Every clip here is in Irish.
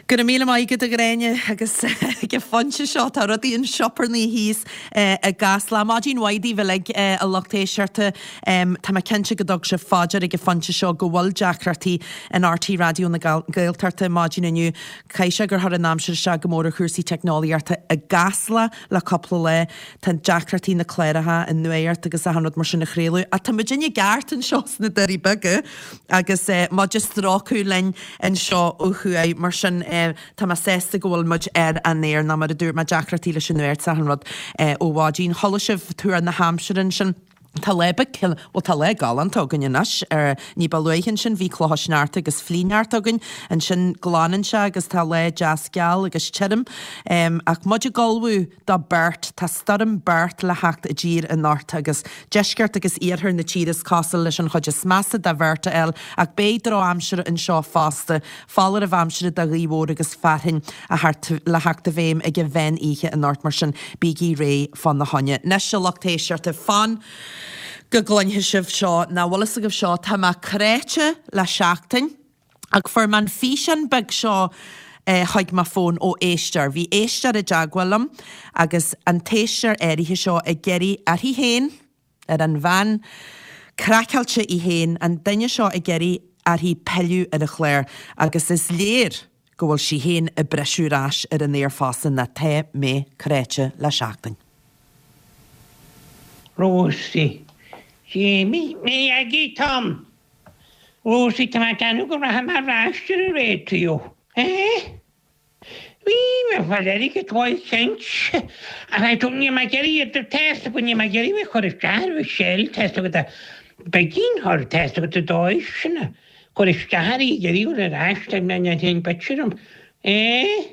Go raibh míle maith agat a Ghráinne agus ag an phointe seo tá rudaí an sioparnaí thíos i gCasla. Maidin mhaith daoibh uilig a lucht éisteachta. Tá mé cinnte go dtug sibh fá dear ag an phointe seo go bhfuil deacrachtaí in RTÉ Raidió na Gaeltachta maidin inniu. Caithfidh sé gur chuir an aimsir isteach go mór ar chúrsaí teicneolaíochta i gCasla le cúpla lá. Tá deacrachtaí na cláracha, an nuacht agus achan rud mar sin a chraoladh. Ach tá muidinne i gceart anseo sna Doirí Beaga agus muid ag strócadh linn anseo ó thuaidh. Mar sin tá mé sásta go bhfuil muid ar an aer, nó mar a dúirt mé, deacrachtaí leis an nuacht is achan rud ó mhaidin. Chuala sibh tuar na haimsire ansin. Tá lá beag, bhuel tá lá galánta againn anois. Ní ba luaithe ansin bhí clocha sneachta agus flichshneachta againn. Ansin glanann sé agus tá lá deas geal agus tirim. Ach muid ag ullmhú do Bert, tá stoirm Bert le theacht i dtír anocht agus deisceart agus iarthar na tíre is cosúil leis an chuid is measa de Bhert a fháil ach beidh drochaimsir anseo fosta. Foláireamh aimsire do ghaoth mhór agus fearthainn le theacht i bhfeidhm ag an mheán oíche anocht mar sin bígí réidh fá na choinne. Anois a lucht éisteachta, fan go gcluinfidh sibh seo, nach bhfuil fhios agaibh seo, tá mé cráite le seachtain ach fuair mé an físeán beag seo chuig mo fón ó éisteoir. Bhí éisteoir i dteagmháil liom agus an t-éisteoir áirithe seo ag iarraidh uirthi féin, ar an bhean craiceáilte í féin, an duine seo ag iarraidh uirthi pilleadh ar an chlár agus is léir go bhfuil sí féin ag briseadh ar ais ar an aer fosta ná tá mé cráite le seachtain. Rósaí. Jamie, Mé Aggie Tom. Rósaí, Tá mé ag déanamh go rachaidh mé ar ais ar an raidió. Eh? Bhí mé fáil airgead uaidh cinnte. Ach I don't, níl mé ag iarraidh iad, tá fhios agat, níl mé ag iarraidh bheith ag cur isteach ar Mhichelle, tá fhios agat, beidh thar, tá fhios agat, an dóigh sin, cur isteach uirthi ag iarraidh dul ar ais, tá mé ní théann bit orm. Eh?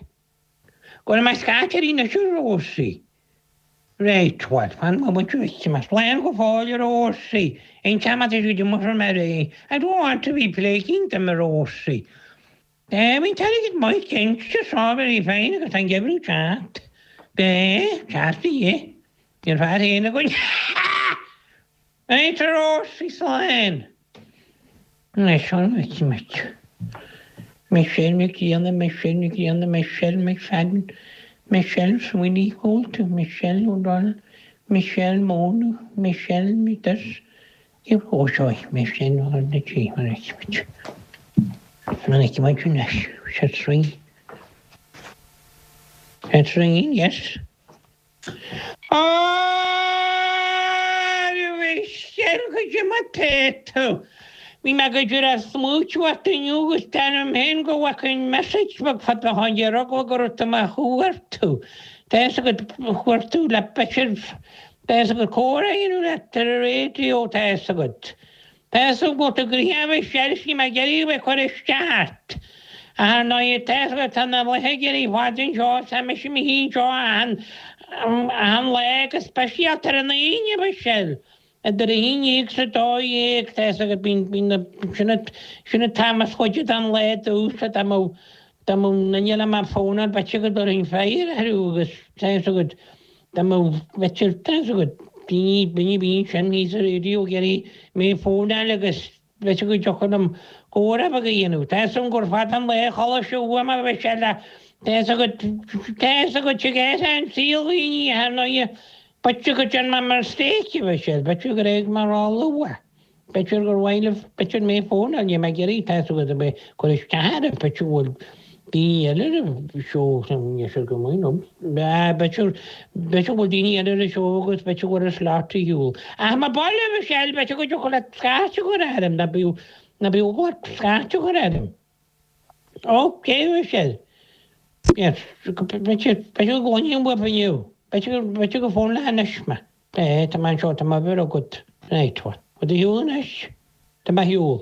Go raibh mé scaite uirthi anois a Rósaí. Right, bhuel, fan móimint uait, más slán go fóill a Rósaí, aon t-am atá siad amuigh from ar I don't want to be plaguing them a Rósaí. Bhí an t-airgead maith cinnte, so very fine agus tá an geimhreadh ag teacht. Beidh, teacht a dhith. Bhí an fear féin againn. Right a Rósaí, slán. Anois, an bhfeicfidh muid. Michelle Nic Grianna, Michelle Nic Grianna, Michelle McFadden, Michelle Sweeney, Holt, Michelle O'Donnell, Michelle Mone, Michelle this, Ó seo Michelle na G, an bhfeicfidh muid. An bhfeicfidh muid anois. It's ringing. It's ringing, yes. Á, a Mhichelle, goidé mar tá tú? Bhí mé go díreach ag smaoitiú ort inniu agus déanaim féin go bhfacainn message beag fada ó shin ar eagla go raibh tú mo chuartú. Tá fhios agat, chuartú le b'fhéidir, tá fhios agat comhrá a dhéanamh leat ar an raidió, tá fhios agat. Tá fhios agam go bhfuil tú gnoitheach a Mhichelle, níl mé ag iarraidh a bheith ag cur isteach ort. Ach ar ndóigh, tá fhios agat, tá na laetha ag éirí fada anseo, tá mise i mo shuí anseo achan, achan lá go speisialta ar an Aoine, a Mhichelle. Idir a haon dhéag is a dó dhéag, tá fhios agat, bíonn, bíonn na, sin an, sin an t-am is faide den lá domhsa, dá mbeadh, dá mbeadh duine le mo fónáil, b'fhéidir go dtabharfainn fire orthu agus tá fhios agat, dá mbeadh, b'fhéidir, tá fhios agat, daoine, daoine a bhí ansin thíos sa raidió ag iarraidh mé a fónáil agus b'fhéidir go dtiocfadh liom comhrá beag a dhéanamh. Tá fhios agam gur fada an lá a chodladh seo uaim a Mhichelle ach tá fhios agat, tá fhios agat, tig an saol dhaoine, ar ndóighe, B'fhéidir go dtearn mé mistake, a Mhichelle, b'fhéidir gur éag mé ró-luath. B'fhéidir gur mhaith libh, b'fhéidir mé fónáil, níl mé ag iarraidh, tá fhios agat, a bheith ag cur isteach oraibh, b'fhéidir go bhfuil daoine eile ar an seó, níl sé go maith liom. B'fhéidir, b'fhéidir go bhfuil daoine eile ar an seó agus b'fhéidir go bhfuil an slot ar shiúl. Ach má ba le Michelle, b'fhéidir go dtiocfadh leat scairt a chur orm, ná bíodh, ná bíodh ort scairt a chur orm. Ok, a Mhichelle. Yes, b'fhéidir, b'fhéidir go gcluinfinn uaibh inniu. B'fhéidir, b'fhéidir go fónfaidh anois mé. Eh, tá mé anseo, tá m'uimhir agat. Right, bhfuil tú ar shiúl anois? Tá mé ar shiúl.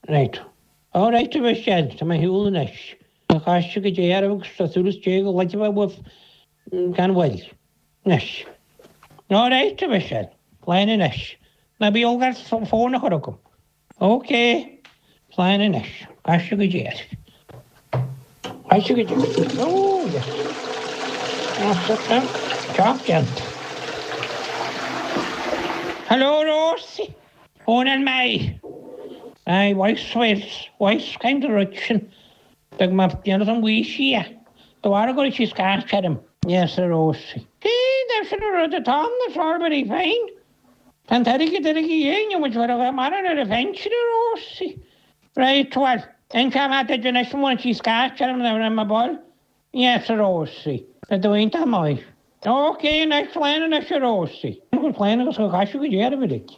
Right. All right, a Mhichelle, tá mé ar shiúl anois. A chaiste go Dé oraibh agus tá súil is Dé go gcluinfidh mé uaibh gan mhoill. Anois. All right, a Mhichelle. Slán anois. Ná bí olc ort fón a chur agam. Ok, slán anois. Caiste go Dé. Caiste go Dé. Oh, yes. Job déanta. Hello, Rosie. Fónáil mé. Aye, voice, voice, voice kind of rud sin. D'fhág mé déanamh an bhaois í. De bharr go raibh sí scairt orm. Yes, a Rósaí. Cé sin an rud atá ann, that's all very fine. Tá an t-airgead ar ag éinne, muid bheith a maireann ar a phinsean, a Rósaí. Right, bhuel, inseoidh mé duit anois an bhfuil sí scairt orm nuair a bhí mé ball. Yes, a Rósaí. Tá tú iontach maith. Ok, anois, slán anois, a Rósaí. Slán agus go gcaithfidh go deo ar a bhric.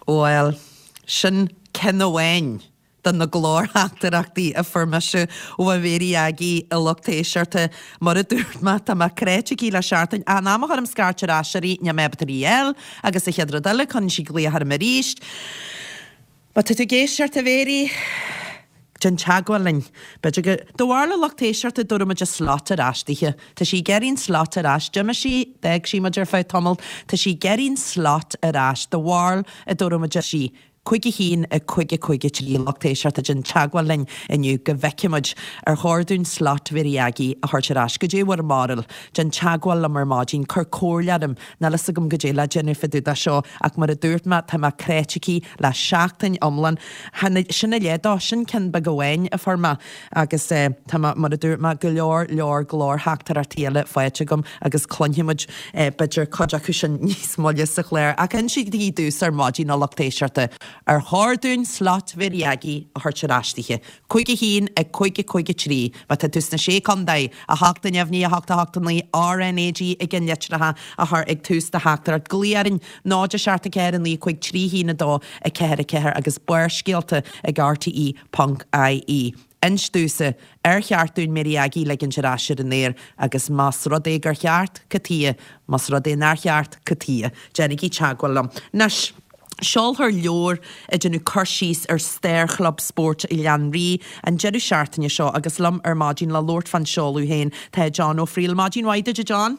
Bhuel, sin ceann amháin de na glórtheachtaireachtaí a fuair mise ó Mhéirí Aggie, a lucht éisteachta. Mar a dúirt mé, tá mé cráite aici le seachtain. An am a chuirim scairt ar ais uirthi, níl mé ábalta í a fháil, agus an chéad rud eile, cuireann sí glaoch orm arís. Má tá tú ag éisteacht, a Mhéirí, déan teagmháil linn. B'fhéidir go. Do bharúil, a lucht éisteachta, dtabharfaidh muid a slot ar ais dithe. Tá sí ag iarraidh an slot ar ais. D'imigh sí, d'fhág sí muid ar feadh tamaill. Tá sí ag iarraidh an slot ar ais. Do bharúil an dtabharfaidh muid sí. 5 1 5 5 3 lucht éisteachta déan teagmháil linn inniu go bhfeicfidh muid ar chóir dúinn slot Mhéirí Aggie a thabhairt ar ais. Goidé bhur mbarúil? Déan teagmháil liom ar maidin, cuir comhairle orm. Níl fhios agam goidé le déanamh fá dtaobh de seo ach mar a dúirt mé tá mé cráite aici le seachtain iomlán. Sin a leith dó, sin ceann beag amháin a fuair mé agus tá mé, mar a dúirt mé, go leor leor glórtheachtaireachtaí eile faighte agam agus cluinfidh muid b'fhéidir cuid acu sin níos moille sa chlár. Ach insígí domhsa ar maidin a lucht éisteachta, ar chóir dúinn slot Mhéirí Aggie a thabhairt ar ais dithe? 5 1 5 5 3 Má tá tú sna Sé Contae, 8 0 9 8 8 9 RnaG i gceannlitreacha a chur ag tús do theachtaireacht. Glaoigh orainn 0 7 4 9 5 3 1 2 4 4 agus Barrscéalta ag rte ponc ie. Inis domhsa, ar cheart dúinn Mary Aggie ligint ar ais ar an aer agus más rud é gur cheart, cad tuighe? Más rud é nár cheart, cad tuighe? Déanaigí teagmháil liom. Anois. Seolfar leabhar ag déanamh cur síos ar stair Chlub Spóirt Ghleann Rí an deireadh seachtaine seo agus liom ar maidin le labhairt fán seoladh féin tá John Ó Frighil. Maidin mhaith duit a John.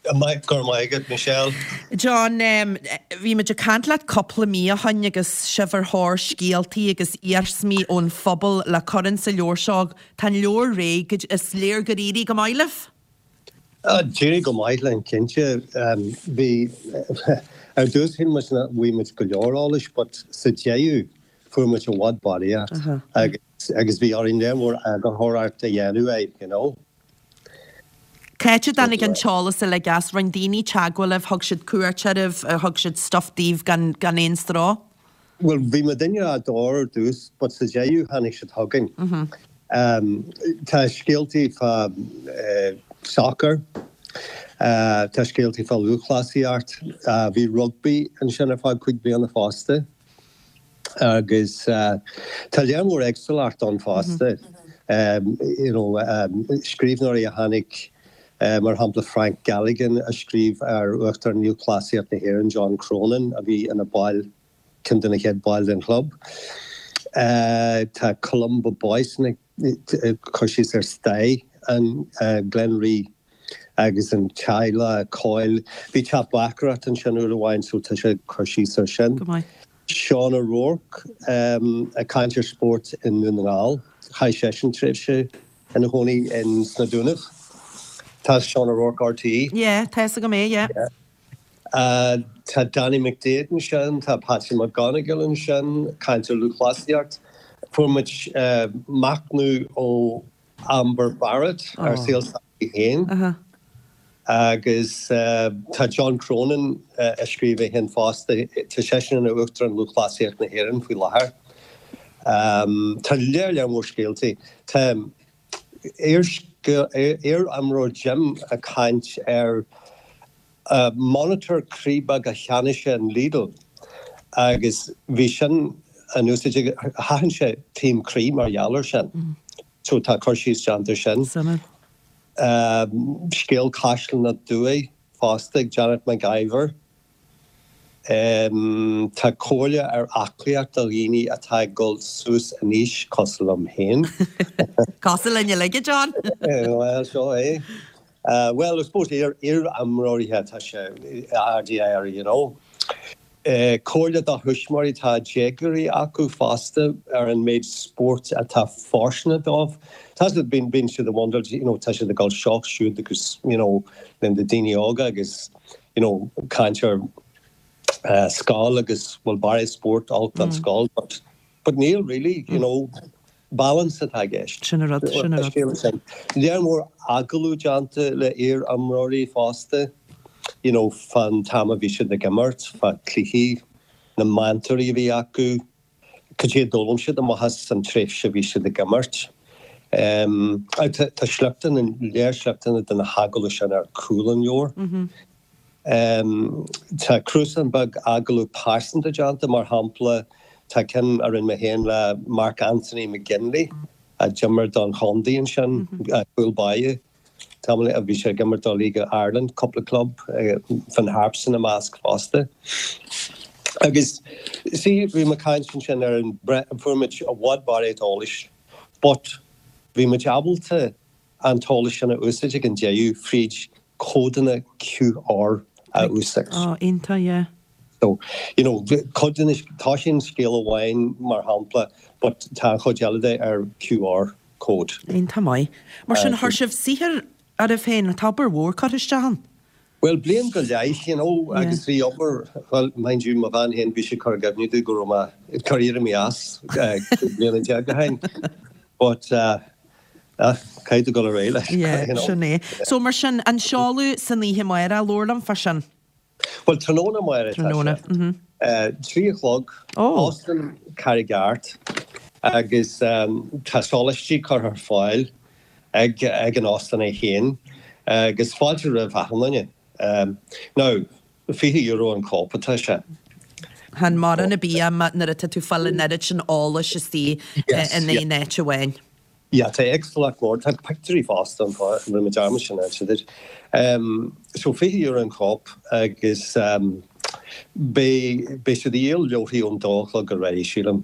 Go raibh maith agat, Michelle. John, bhí muid ag caint leat cúpla mí ó shoin agus sibh ar thóir scéaltaí agus iarsmaí ón phobal le cur insa leabhar seo. Tá an leabhar réidh, is léir gur éirigh go maith libh. D'éirigh go maith linn, cinnte. Bhí, ar dtús shíl muid nach bhfuair muid go leor eolais but sa deireadh fuair muid i bhfad barraíocht agus agus bhí orainn léar mór eagarthóireacht a dhéanamh air, you know. Cá háit a dtáinig an t-eolas uilig as? Rinne daoine teagmháil libh, thug siad cuairt oraibh, thug siad stuff daoibh gan gan aon stró? Bhuel, bhí muidinne á dtóir ar dtús but sa deireadh tháinig siad chugainn. Tá scéaltaí fá soccer, tá scéaltaí fá lúthchleasaíocht, bhí rugbaí ansin ar feadh cúig bliana fosta agus tá léar mór éagsúlacht ann fosta. You know, scríbhneoirí a tháinig mar shampla Frank Galligan a scríobh ar Uachtarán Lúthchleasaíocht na hÉireann John Cronin a bhí ina ball ceann de na chéad baill den chlub. Tá Columba Boyce ag cur síos ar stair an Ghleann Rí agus an teaghlach Coyle. Bhí teach bácaireachta ansin uair amháin so tá sé ag cur síos ar sin. Go maith. Seán O'Rourke ag caint ar spórt i nDún na nGall. Chaith seisean tréimhse ina chónaí in sna Dúnaibh. Tá Seán O'Rourke RTÉ. Yeah, tá fhios agam é, yeah. Tá Danny McDaid ansin, tá Patsy McGonigal ansin, caint ar lúthchleasaíocht. Fuair muid machnamh ó Amber Barrett ar saol s'aici féin. Agus tá John Cronin ag scríobh é féin fosta, tá seisean ina Uachtarán Lúthchleasaíocht na hÉireann faoi láthair. Tá léar léar mór scéaltaí. Tá iar-imreoir Jim ag caint ar monitor croí beag a cheannaigh sé in Lidl agus bhí sin in úsáid aige, sheachain sé taom croí mar gheall ar sin. So tá cur síos déanta ar sin. Suimiúil. Scéal Caisleán na Dumhaí fosta ag Janet McIver. Tá comhairle ar aclaíocht do dhaoine atá ag dul suas in aois, cosúil liom féin. Cosúil linn uilig, a John! Bhuel, seo é. Bhuel, I suppose iar-imreoirí atá sé RDIR, you know. Comhairle do thuismitheoirí atá déagóirí acu fosta ar an méid spóirt atá fóirsteanach dóibh. Tá siad, bíonn, bíonn siad ag wonder, you know, tá siad ag dul seo siúd agus, you know, na daoine óga agus, you know, caint ar scoil agus bhfuil barraíocht spóirt olc don scoil but. But níl really, you know, balance atá i gceist. Sin an rud, sin an rud. Lear mór agallamh déanta le iar-imreoirí fosta, you know, fán t-am a bhí siad ag imirt, fá cluichí, na meantóirí a bhí acu, cad é a d'fhoghlaim siad amach as an tréimhse a bhí siad ag imirt. Tá sliochtanna, léar sliochtanna de na hagallaimh sin ar chúl an leabhair. Tá cnuasach beag agallamh pearsanta déanta, mar shampla, tá ceann a rinne mé féin le Mark Anthony McGinley, a d'imir don chontae ansin, cúl báire, tamall, bhí sé ag imirt do League of Ireland, cúpla club, Finn Harps ina measc fosta. Agus, see, bhí mé ag caint ansin ar an, fuair muid i bhfad barraíocht eolais, but bhí muid ábalta an t-eolas sin a úsáid ag an deireadh fríd códanna QR a úsáid. Oh, iontach, yeah. So, you know, cuid de na, toisíonn scéal amháin mar shampla but tá an chuid eile de ar QR code. Iontach maith. Mar sin, chuir sibh saothar oraibh féin, tá obair mhór curtha isteach ann. Bhuel, bliain go leith, you know, agus bhí obair, bhuel, mind you, mo bhean féin, bhí sí ag cur i gcuimhne domh go raibh mé ag cur éirí as 15 bliana ó shin. But, ah, caithfidh tú dul ar aghaidh leis, Yeah, you know. sin é. So, mar sin, an seoladh san oíche amárach, labhair liom fá sin. Bhuel, tráthnóna amárach atá Tráthnóna, sé. mhm. 3 a chlog, Oh. Óstán Charraig Airt, agus tá sólaistí curtha ar fáil ag an óstán é féin agus fáilte roimh achan duine. Now, €20 an cóip atá sé. Chan mórán ar bith é nuair atá tú ag fáil an oiread sin eolais istigh in aon áit amháin. Yeah, tá éagsúlacht mhór, tá pictiúirí fosta ann, rinne mé dearmad sin a inse duit. So €20 an cóip agus beidh, beidh siad ag díol leabharthaí ón dó a chlog ar aghaidh, sílim.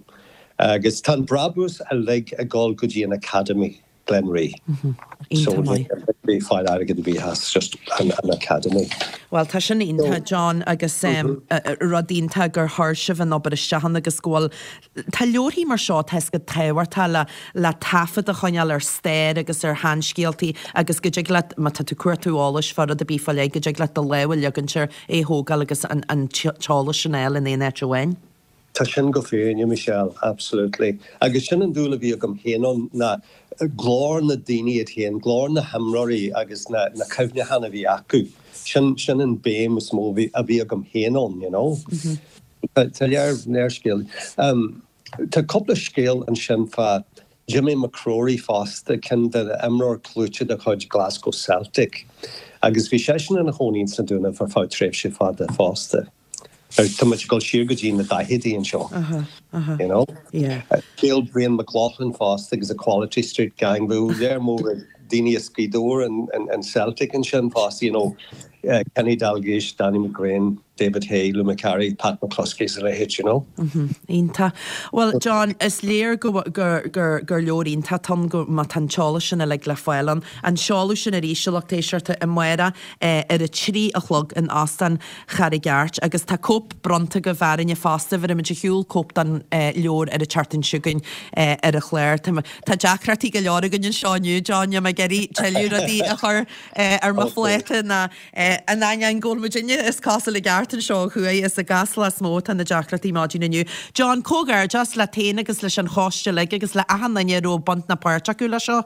Agus tá an brabús uilig ag dul go dtí an Academy, Glenree. So Iontach maith. ní fáil airgead ar bith as just an Academy. Bhuel, tá sin iontach, John, agus rud iontach gur chuir sibh an obair isteach ann agus go bhfuil, tá leabharthaí mar seo, tá 'fhios agat tábhachtach le, le taifead a choinneáil ar stair agus ar sheanscéaltaí agus go dtig leat, má tá tú ag cuartú eolais fá rud ar bith fá leith, go dtig leat do lámh a leagaint air, é a thógáil agus an, an t-eolas sin a fháil in aon áit amháin. Tá sin go fírinne, Michelle, absolutely. Agus sin an dúil a bhí agam féin ann, ná glór na daoine iad féin, glór na himreoirí agus na cuimhneacháin a bhí acu. Sin, sin an béim is mó a bhí agam féin ann, you know. Tá lear, lear scéal. Tá cúpla scéal ansin fá Jimmy McCrory fosta, ceann de imreoir clúite de chuid Glasgow Celtic. Agus bhí seisean ina chónaí ins na Dúnaibh ar feadh tréimhse fada fosta. Tá muid ag dul siar go dtí na daicheadaí anseo, you know. Scéal Brian McLaughlin fosta agus the Quality Street Gang, bhí lear mór daoine as Gaoth Dobhair in Celtic ansin fosta, you know, Kenny Dalglish, Danny McGrain, David Hay, Lou Macari, Pat McCluskey is a leithéid, you know. Iontach. Bhuel, John, is léir go gur gur leabhar iontach atá ann, go má tá an t-eolas sin uilig le fáil ann. An seoladh sin arís, a lucht éisteachta, amárach ar a 3 a chlog in Óstán Charraig Airt agus tá cóip bronnta agaibh orainne fosta, bhéarfaimid ar shiúl cóip den leabhar ar an tseachtain seo chugainn ar an chlár. Tá deacrachtaí go leor againn anseo inniu, John, níl mé ag iarraidh tuilleadh rudaí a chur ar mo phláta ná in ainneoin go bhfuil muidinne is cosúil i gceart anseo ó thuaidh, is i gCasla is mó atá na deacrachtaí maidin inniu. John, comhghairdeas leat féin agus leis an choiste uilig agus le achan duine a raibh baint ná páirt acu leis seo.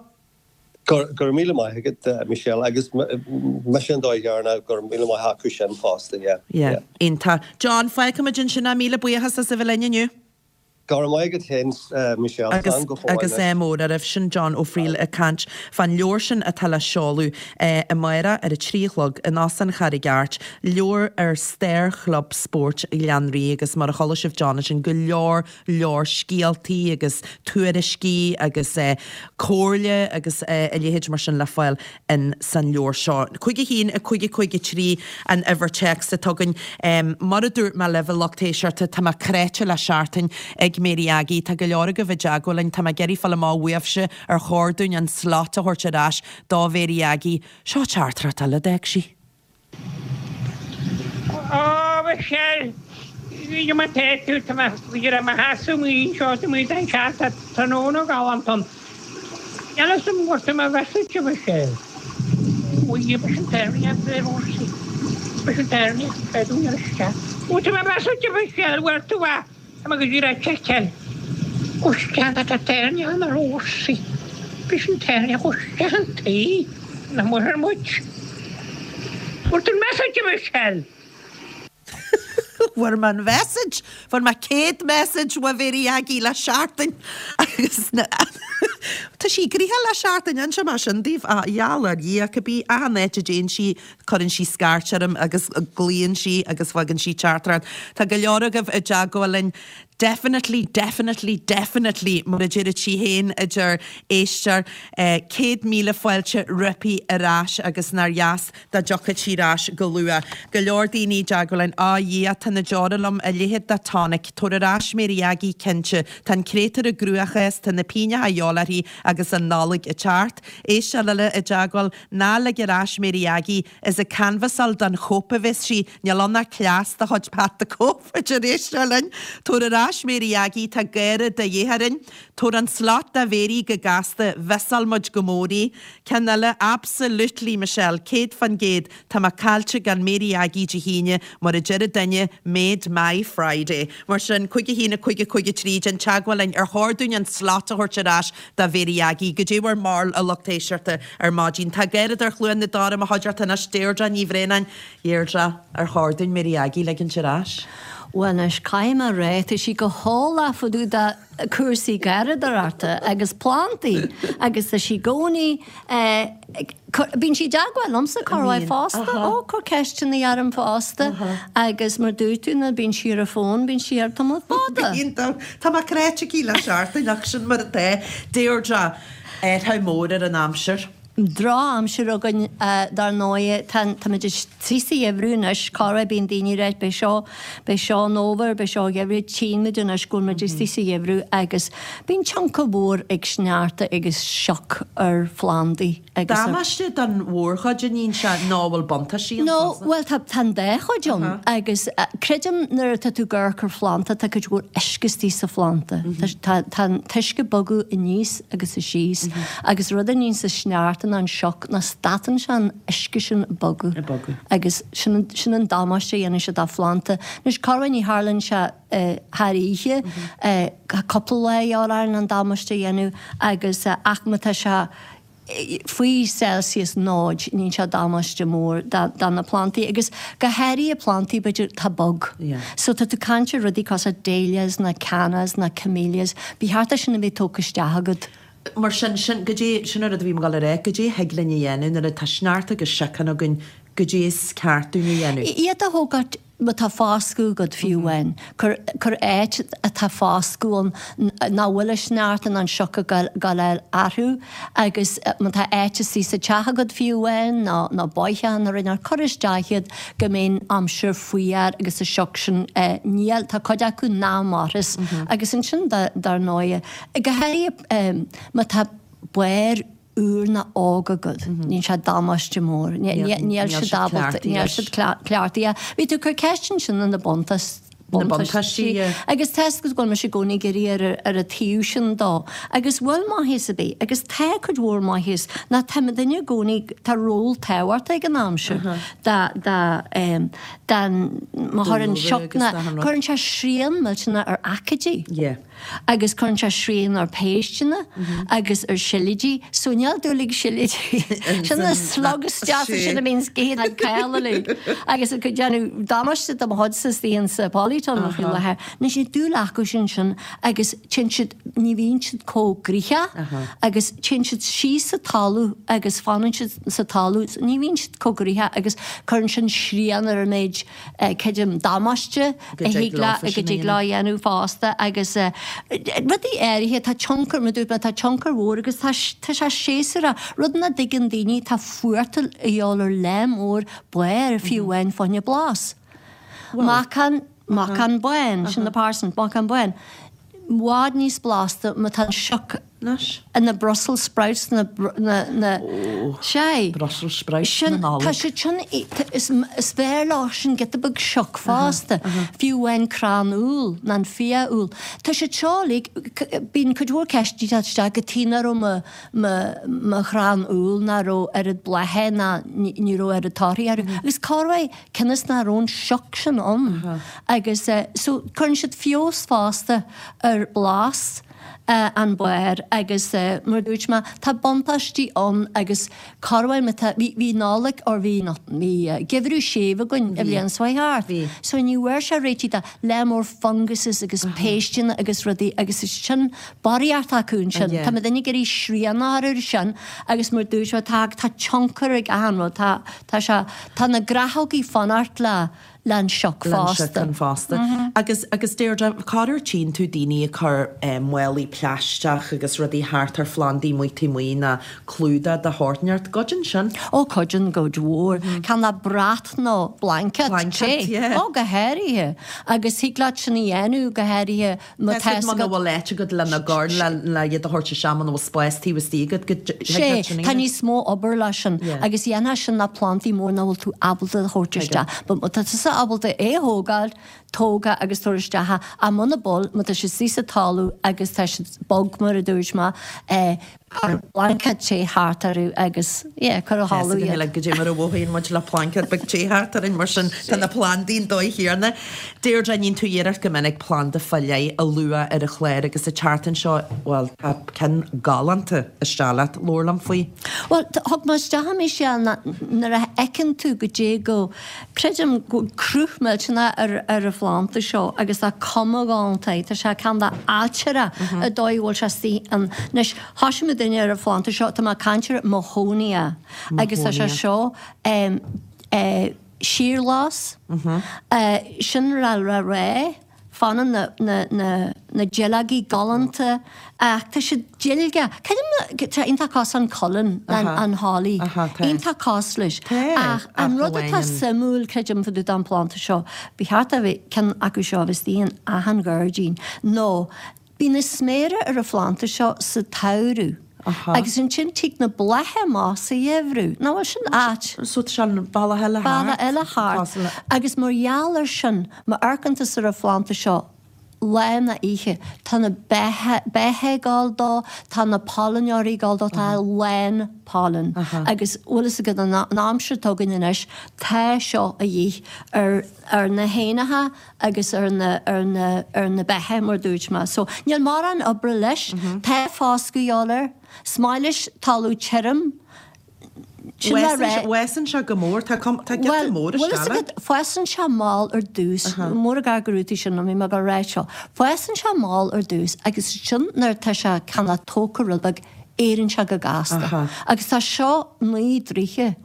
Go raibh míle maith agat, Michelle, agus mise an dóigh dheireanach, go raibh míle maith acu sin fosta, yeah. Yeah, iontach. John, fágfaimid ansin é, míle buíochas as a bheith linn inniu. Go raibh maith agat féin, Michelle, Agus, slán go fóill agus anois. ádh mór oraibh. Sin John Ó Frighil ag caint fán leabhar sin atá le seoladh amárach ar a 3 a chlog in Óstán Charraig Airt, leabhar ar stair Chlub Spóirt Ghleann Rí agus mar a chuala sibh John ansin, go leor leor scéaltaí agus tuairiscí agus comhairle agus a leithéid mar sin le fáil in san leabhar seo. 5 1 5 5 3 an uimhir téacs atá againn. Mar a dúirt mé libh, a lucht éisteachta, tá mé cráite le seachtain ag Mary Aggie. Tá go leor agaibh i dteagmháil linn. Tá mé ag iarraidh fáil amach uaibhse ar chóir dúinn an slot a thabhairt ar ais do Mhary Aggie. Seo teachtaireacht eile a d'fhág sí. Ó, Michelle, cad é mar tá tú, tá mé i mo sheasamh amuigh anseo, tá mé den sean, tá tráthnóna galánta ann. Níl fhios agam bhfuair tú mo message, a Mhichelle. Ó, dhia, b'shin tairne, b'shin tairne, b'fhéidir isteach. Bhfuair tú mo message, a Mhichelle, bhfuair tú é? Tá mé go díreach ag seiceáil. Gabh isteach tá tairneach na rósaí. B'shin tairneach gabh isteach an tí na muir muid. Fuair tú an message a Michelle? Fuair mé an message! Fuair mé 100 message ó Mhéirí Aggie le seachtain agus na Tá sí gnoitheach le seachtain, inseoidh mé sin daoibh, a gheall ar Dhia, cibé achan áit a dtéann sí cuireann sí scairt orm agus glaonn sí agus faigheann sí teachtaireacht. Tá go leor agaibh i dteagmháil linn. Definitely, definitely, definitely, mar a deireadh sí féin, a deir éisteoir. 100,000 fáilte roimpi ar ais agus nár dheas dá dtiocfadh sí ar ais go luath. Go leor daoine i dteagmháil linn. Á, a Dhia, tá na deora liom, a leithéid de tonic. Tabhair ar ais Mary Aggie, cinnte. Tá an créatúr i gcruachás, tá na pingneacha a dhíobháil uirthi agus an Nollaig ag teacht. Éisteoir eile i dteagmháil, Ná lig ar ais Mary Aggie, is ag canbhasáil don Chóip a bheas sí, níl ann ach cleas de chuid Pat the Cope, a deir éisteoir linn. Tabhair ar ais Mary Aggie, tá gáire de dhíth orainn. Tabhair an slot do Mhéirí go gasta, mhissáil muid go mór í. Ceann eile, absolutely Michelle, 100%, tá mé caillte gan Mary Aggie Dé hAoine, mar a deir duine, made my Friday. Mar sin, 5 1 5 5 3, déan teagmháil linn ar chóir dúinn an slot a thabhairt ar ais do Mhéirí Aggie. Goidé bhur mbarúil a lucht éisteachta ar maidin. Tá Garradóir Chluain na Dara i mo chuideachta anois, Deirdre Ní Bhraonáin. Deirdre, ar chóir dúinn Mary Aggie a ligint ar ais? Bhuel anois, caithfidh mé a rá, tá sí go heolach fá dtaobh de cúrsaí garradóireachta agus plandaí agus tá sí i gcónaí ag cur, bíonn sí i dteagmháil liomsa corruair fosta, ó, cur ceisteanna orm fosta agus mar dúirt tú nuair bíonn sí ar an bhfón, bíonn sí air tamall fada. Bíonn, tá mé cráite aici le seachtain ach sin mar atá. Deirdre, athrú mór ar an aimsir. Drochaimsir againn dar ndóigh. Táimid istigh sa gheimhreadh anois. Corruair bíonn daoine ag ráit beidh seo, beidh seo an fhómhar, beidh seo an gheimhreadh. Tchíonn muid anois go bhfuil muid istigh sa gheimhreadh agus bíonn tionchar mhór ag sneachta agus sioc ar phlandaí agus ar. Damáiste don mhórchuid a níonn sé nó an bhfuil buntáistí ann No, fosta? bhuel tá, tá an dá chuid ann agus creidim nuair atá tú ag amharc ar phlanda tá cuid mhór uisce istigh sa phlanda. Tá, tá an t-uisce ag bogadh aníos agus síos Agus rud a níonns an sneachta ná an sioc ná statann sé an uisce sin ag bogadh. Ag bogadh. Agus sin sin an damáiste a dhéanann sé do phlanda. Anois corruair ní tharlaíonn sé thar oíche, cúpla lá a dhíobháil orainn an damáiste a dhéanamh agus ach má tá sé faoi Celsius 0 níonn sé damáiste mór do na plandaí agus go háirithe plandaí b'fhéidir atá bog. So tá tú ag caint ar rudaí cosúil dahlias ná cannas ná camellias, ba cheart é sin a bheith tógtha isteach agat. Mar sin, sin, goidé, sin an rud a bhí mé ag dul a rá, goidé a thig linn a dhéanamh nuair atá sneachta agus sioc againn, goidé is ceart dúinn a dhéanamh? Iad a thógáilt má tá foscadh agat fiú amháin. Cuir, cuir áit atá foscadh ann nach bhfuil an sneachta ná an sioc ag gabháil orthu agus má tá áit istigh sa teach agat fiú amháin nó, nó bóitheach nó rud éigin, cuir isteach iad go mbeidh an aimsir fuar agus an sioc sin, níl, tá cuid acu nach mairfeas agus ansin dar ndóighe, Go háirithe má tá barr úr nó óg agat, níonn sé damáiste mór. Níl siad ábalta, níl siad cleachtaithe. Bhí tú ag cur ceist ansin ar na buntáistí. Agus tá 'fhios agat go bhfuil mise i gcónaí ag iarraidh ar ar an taobh sin dó. Agus bhfuil maitheas ar bith, agus tá cuid mhór maitheas, ná tá mo dhuine i gcónaí, tá ról tábhachtach ag an aimsir dá, dá, dá, má chuireann sioc ná, cuireann sé srian millteanach ar aicídí. agus cuireann sé srian ar phéisteanna agus ar siilidí, so níl dúil ag siilidí. Sin na slugs deasa sin a bhíonns ag ithe an coill uilig agus ag déanamh damáiste do mo chuidse istigh insa polytunnel faoi láthair. Anois níl dúil acu sin sin agus téann siad, ní bhíonn siad chomh gnoitheach agus téann siad síos sa talamh agus fanann siad sa talamh, ní bhíonn siad chomh gnoitheach agus cuireann sin srian ar an méid creidim, damáiste a thig leo, go dtig leo a dhéanamh fosta agus rudaí áirithe, tá tionchar, mar a dúirt mé, tá tionchar mhór agus tá tá sé séasúrach, rud nach dtuigeann daoine, tá fuartal a dhíobháil ar lear mór barr fiú amháin fá choinne blas. Macán, macán bán, sin na parsnips, macán bán. I bhfad níos blasta má tá an sioc Anois. na Brussels sprouts na na na Sea. Brussels sprouts na Nollag. Tá siad sin is is fearr leo sin giota beag sioc fosta. Fiú amháin crann úll ná an fia-úll. Tá siad seo uilig bíonn cuid mhór ceisteanna ag teacht isteach cad chuige nach raibh mo mo mo chrann úll nach raibh oiread blátha ná ní raibh oiread torthaí orthu. Agus corruair cionn is nach raibh an sioc sin ann. Agus so cuireann siad feabhas fosta ar blas. an barr agus mar a dúirt mé, tá buntáistí ann agus corruair má tá, bhí, bhí Nollaig or bhí, bhí geimhreadh séimh againn an bhliain seo thart. Bhí. So ní bhfuair sé réitithe do lear mór funguses agus péisteanna agus rudaí agus is sin barraíocht acu ansin. Tá muid ag iarraidh srian a chur air sin agus mar a dúirt mé, tá, tá tionchar ag achan rud, tá, tá sé, tá na gnáthógaí fanacht le, le an sioc fosta. Le an sioc ann fosta. Agus, agus Deirdre, corruair tchíonn tú daoine ag cur málaí plaisteach agus rudaí thart ar phlandaí amuigh taobh amuigh nó clúdach de shórt inteacht. Cuidíonn sin? Ó, cuidíonn go mór. Cineál de brat nó blanket. Blanket, yeah. Ó, go háirithe. Agus thig leat sin a dhéanamh, go háirithe má tá a fhios agat. Muna bhfuil áit agat lena gcur, le iad a thabhairt isteach, muna bhfuil spás taobh istigh agat go dtig leat sin a dhéanamh. Sé, tá níos mó obair leis sin agus dhéanfá sin le plandaí mór nach bhfuil tú ábalta a thabhairt isteach. But má tá tusa ábalta é a thógáil, tóg é agus tabhair isteach é. Ach muna bhfuil, má tá siad istigh sa talamh agus tá siad bog mar a dúirt mé, Cuir blanket te thart orthu agus, yeah, cuir a chodladh iad. Go dté mar a mhothaíonn muid le plaincéad beag te thart orainn, mar sin tá na plandaí an dóigh chéanna. Deirdre, níonn tú iarracht go minic planda fá leith a lua ar an chlár agus an tseachtain seo, bhuel, tá ceann galánta isteach leat. Labhair liom faoi. Bhuel, thug mé isteach a Michelle nuair a fheiceann tú go dté go, Creidim go bhfuil cruth millteanach ar ar an phlanda seo agus tá cuma ghalánta air. Tá sé cineál de ailtireach an dóigh a bhfuil sé istigh ann. Anois, thoisigh muid duine ar an phlanda seo, tá mé ag caint ar Mahonia agus tá sé seo síorghlas, sin rá rá rá. Fanann na duilleogaí galánta ach tá siad duilge. Creidim tá iontach cosúil an cuileann, an holly. Iontach cosúil leis. Ach an rud atá suimiúil, creidim, fá dtaobh den phlanda seo, ba cheart a bheith ceann acu seo a bheith istigh in achan ghairdín, nó bíonn na sméara ar an phlanda seo sa tsamhradh agus ansin tig na blátha amach sa gheimhreadh. Nach bhfuil sin ait? So tá sé an bealach eile thart. Bealach eile thart. Agus mar gheall ar sin, Má amharcann tusa ar an phlanda seo lá ná oíche, tá na beacha ag gabháil dó, tá na pailneoirí ag gabháil dó, tá a lán pailin. Agus bhfuil fhios agat, an aimsir atá againn anois, tá seo a dhíth ar ar na héanacha agus ar na ar na ar na beacha, mar dúirt mé. So, níl mórán oibre leis, tá foscadh a dhíobháil air, is maith leis talamh tirim, Sin le rá. Fásann sé go mór, tá giota mór isteach. Bhuel, bhfuil fhios agat, fásann sé mall ar dtús, mór an gar go raibh tú sin, bhí mé ag rá seo. Fásann sé mall ar dtús agus ansin nuair atá sé cineál tógtha rud beag, éiríonn sé go gasta. Agus tá seo 9 dtroithe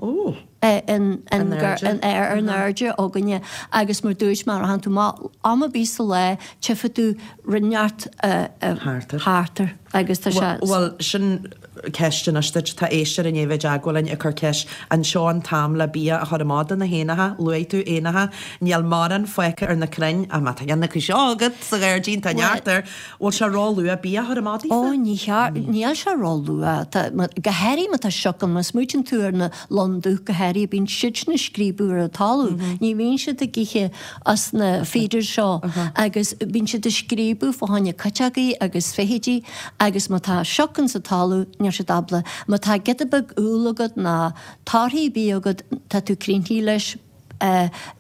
in ar an airde againne agus mar dúirt mé, rachann tú amach am ar bith sa lá, tchífidh tú rud inteacht thart air agus tá sé. Bhuel, sin ceist anois duit. Tá éisteoir i ndiaidh a bheith i dteagmháil linn ag cur ceist, an seo an t-am le bia a chur amach do na héanacha? Luaigh tú éanacha. Níl mórán fágtha ar na crainn, ach má tá ceann acu seo agat sa ghairdín, tá neart air. Bhfuil sé ró-luath bia a chur amach daofa? Ó, ní cheart, níl sé ró-luath. Tá, go háirithe má tá sioc ann, má smaoitíonn tú ar na lon dubh go háirithe, bíonn siadsan ag scríobadh ar an talamh. Ní bhíonn siad ag ithe as na feeders seo agus bíonn siad ag scríobadh fá choinne cuiteogaí agus feithidí agus má tá sioc ins an talamh níl siad ábalta, má tá giota beag úll agat ná torthaí ar bith agat tá tú críochnaithe leis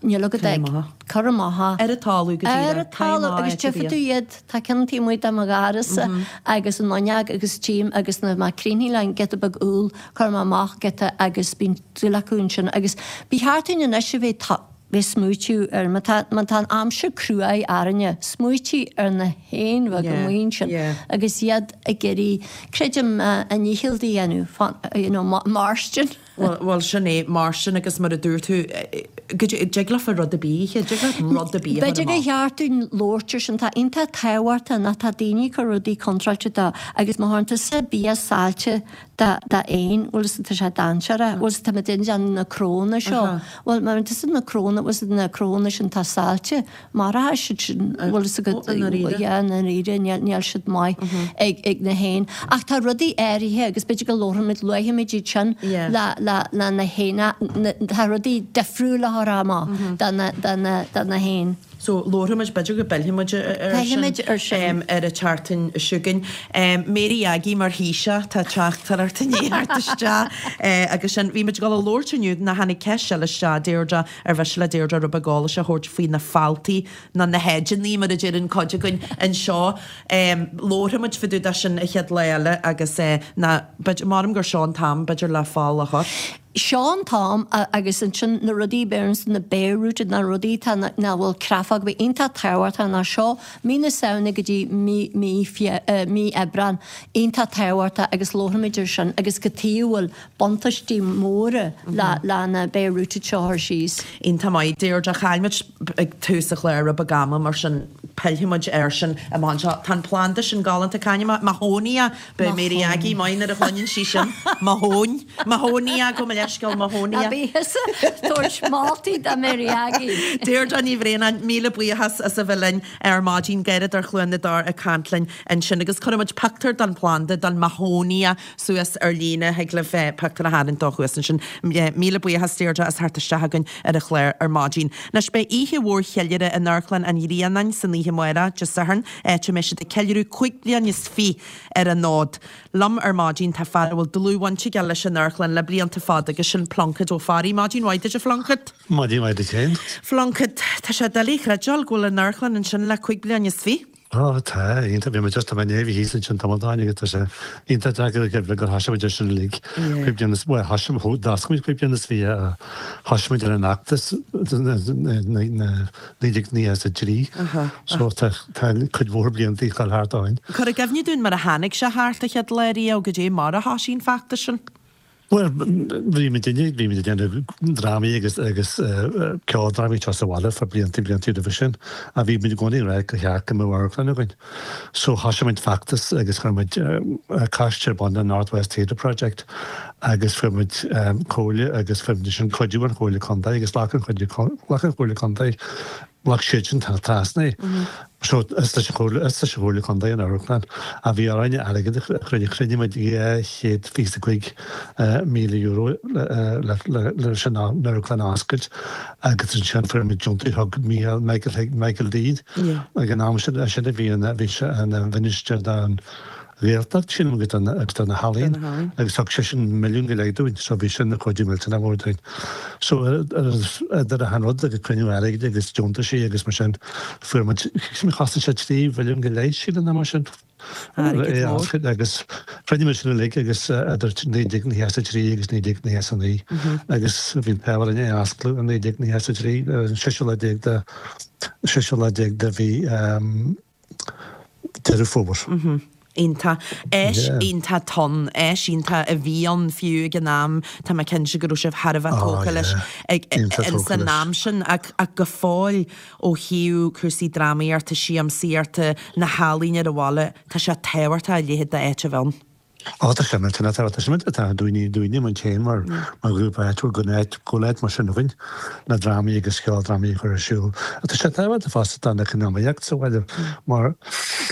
níl agat ach cur amach Ar an talamh go díreach. Ar an talamh agus tchífidh tú iad, tá ceann taobh amuigh de mo dhoras-sa agus an fhuinneog agus tchím agus nuair mé críochnaithe le an giota beag úll cuir mé amach giota agus bíonn dúil acu ansin agus ba cheart dúinn anois a bheith bheith smaoitiú ar, má tá, má tá an aimsir cruaidh orainne, smaoitiú ar na héin bheaga amuigh ansin agus iad ag iarraidh, creidim, a ndícheall a dhéanamh, you know, mairstin. Bhuel, bhuel, sin é, mairstin agus mar a dúirt tú, go dtig leofa rud ar bith, dtig leat rud ar bith a chur B'fhéidir gur amach. cheart dúinn labhairt ar sin, tá iontach tábhachtach nach tá daoine ag cur rudaí contráilte dó agus má chuireann tusa bia saillte do éin, bhfuil fhios agat, tá sé dainséarach, bhfuil fhios agat, tá muid ag déanamh na crónna seo, bhuel, má bhíonn tusa na crónna, bhfuil fhios agat, na crónna sin atá saillte, maróidh siad sin, bhfuil fhios agat, i ndáiríre, yeah, i ndáiríre, níl, níl siad maith ag, ag na héin. Ach tá rudaí áirithe agus b'fhéidir go labharfaimid, luafaimid iad sin le, le, le na héin, tá rudaí difriúla a chur amach do na, do na, do na héin. So labharfaidh muid, b'fhéidir go bpillfidh muid ar sin Pillfidh muid ar sin. ar an tseachtain seo chugainn. Mary Aggie mar Thaoiseach, tá teachtaireacht i ndiaidh theacht isteach agus sin. Bhí muid ag dul a labhairt inniu, nó tháinig ceist eile isteach, Deirdre, ar mhiste le Deirdre rud beag eolais a thabhairt faoi na fáltaí nó na heideanna mar a deireann cuid againn anseo. Labharfaidh muid fá dtaobh de sin an chéad lá eile agus ná, b'fhéidir, maram gur seo an t-am b'fhéidir le fál a chur. Seo an t-am agus ansin na rudaí beireann na bare rooted na rudaí atá nach bhfuil creafóg ar bith iontach tábhachtach ná seo mí na Samhna go dtí mí mí mí Aibreán iontach tábhachtach agus labharfaimid ar sin agus cad chuige a bhfuil buntáistí móra le le na bare rooted seo a chur síos. Iontach maith. Deirdre, chaill muid ag tús an chláir rud beag ama mar sin pillfidh muid air sin amach anseo. Tá an planda sin galánta, c'ainm é? Mahonia! Beidh Mary Aggie maith nuair a chluineann sí sin. Mahóin. Mahonia, gabh mo leithscéal, Mahonia. Ná bí thusa ag tabhairt moltaí do Mary Aggie. Deirdre Ní Bhraonáin, míle buíochas as a bheith linn ar maidin, Garradóir Chluain na dTor ag caint linn ansin agus cuirfidh muid pictiúr den phlanda, den Mahonia, suas ar líne, thig libh pictiúr a tharraingt dó thuas ansin. Míle buíochas Deirdre as theacht isteach chugainn ar an chlár ar maidin. Anois beidh oíche mhór cheiliúrtha in Amharclann an Ghrianáin san oíche amárach, Dé Sathairn, áit a mbeidh siad ag ceiliúradh 25 bliain ar an fhód. Liom ar maidin tá fear a bhfuil dlúthbhaint aige leis an amharclann le blianta fada agus sin Pluincéad Ó Fearraigh. Maidin mhaith duit a Phluincéad. Maidin mhaith duit féin. Phluincéad, tá sé doiligh a chreidbheáil go bhfuil an amharclann ansin le 25 bliain. Ó tá, iontach, bhí muid just, tá mé i ndiaidh a bheith thíos ansin tamall ó shin agus tá sé iontach deacair a chreidbheáil gur thosaigh muid ar sin uilig 25 bliain is, bhuel thosaigh, d'oscail muid 25 bliain is thosaigh muid ar an fheachtas 1993 so tá cuid mhór blianta ag dul thart ó shin. Cuir i gcuimhne dúinn mar a tháinig sé thart an chéad lá riamh, goidé mar a thosaigh an feachtas sin. Bhuel, bhí muid inné, bhí muid ag déanamh drámaí agus agus ceoldrámaí anseo sa bhaile for blianta blianta roimhe sin ach bhí muid i gcónaí ag rá gur cheart go mbeadh amharclann againn. So thosaigh muid feachtas agus chuir muid coiste ar bun, an North West Theatre Project agus fuair muid comhairle agus fuair muid ansin cuidiú ón Chomhairle Contae agus ghlac an ghlac an Chomhairle Contae Ghlac siadsan trasna é. So is leis an Chomhairle, is leis an Chomhairle Contae an amharclann ach bhí orainn airgead a chruinniú. Chruinnigh muid €225,000 leis an amharclann a oscailt agus ansin fuair muid deontas thug Micheál, Michael, Michael D ag an am sin, sin a bhí ina, bhí sé ina mhinistir don Ghaeltacht, sílim, agus do agus do na healaíon agus thug seisean milliún go leith dúinn so bhí sin ina chuidiú millteanach mór dúinn. So idir achan rud agus cruinniú airgid agus deontaisí agus mar sin fuair muid, chosain sé 3 mhilliún go leith sílim nó mar sin. Airgead mór. Agus chruinnigh muid sin uilig agus idir 1993 agus 1999 agus bhí an t-ádh orainn é a osclú i 1993 ar an seisiú lá déag de seisiú lá déag de mhí Deireadh Fómhair. Iontach. Áis iontach atá ann, áis iontach a bhí ann fiú ag an am, tá mé cinnte go raibh sibh thar a bheith tógtha leis ag ins an am sin ach go fóill ó thaobh cúrsaí drámaíochta, siamsaíochta, na healaíne ar an bhaile, tá sé tábhachtach a leithéid d'áit a bheith ann. Á, tá sé millteanach tábhachtach. Tá sé millteanach tábhachtach dúinne, dúinne muid féin mar, mar ghrúpa áitiúil go n-áit, go bhfuil áit mar sin againn le drámaí agus ceoldrámaí a chur ar siúl. Ach tá sé tábhachtach fosta don eacnamaíocht sa bhaile mar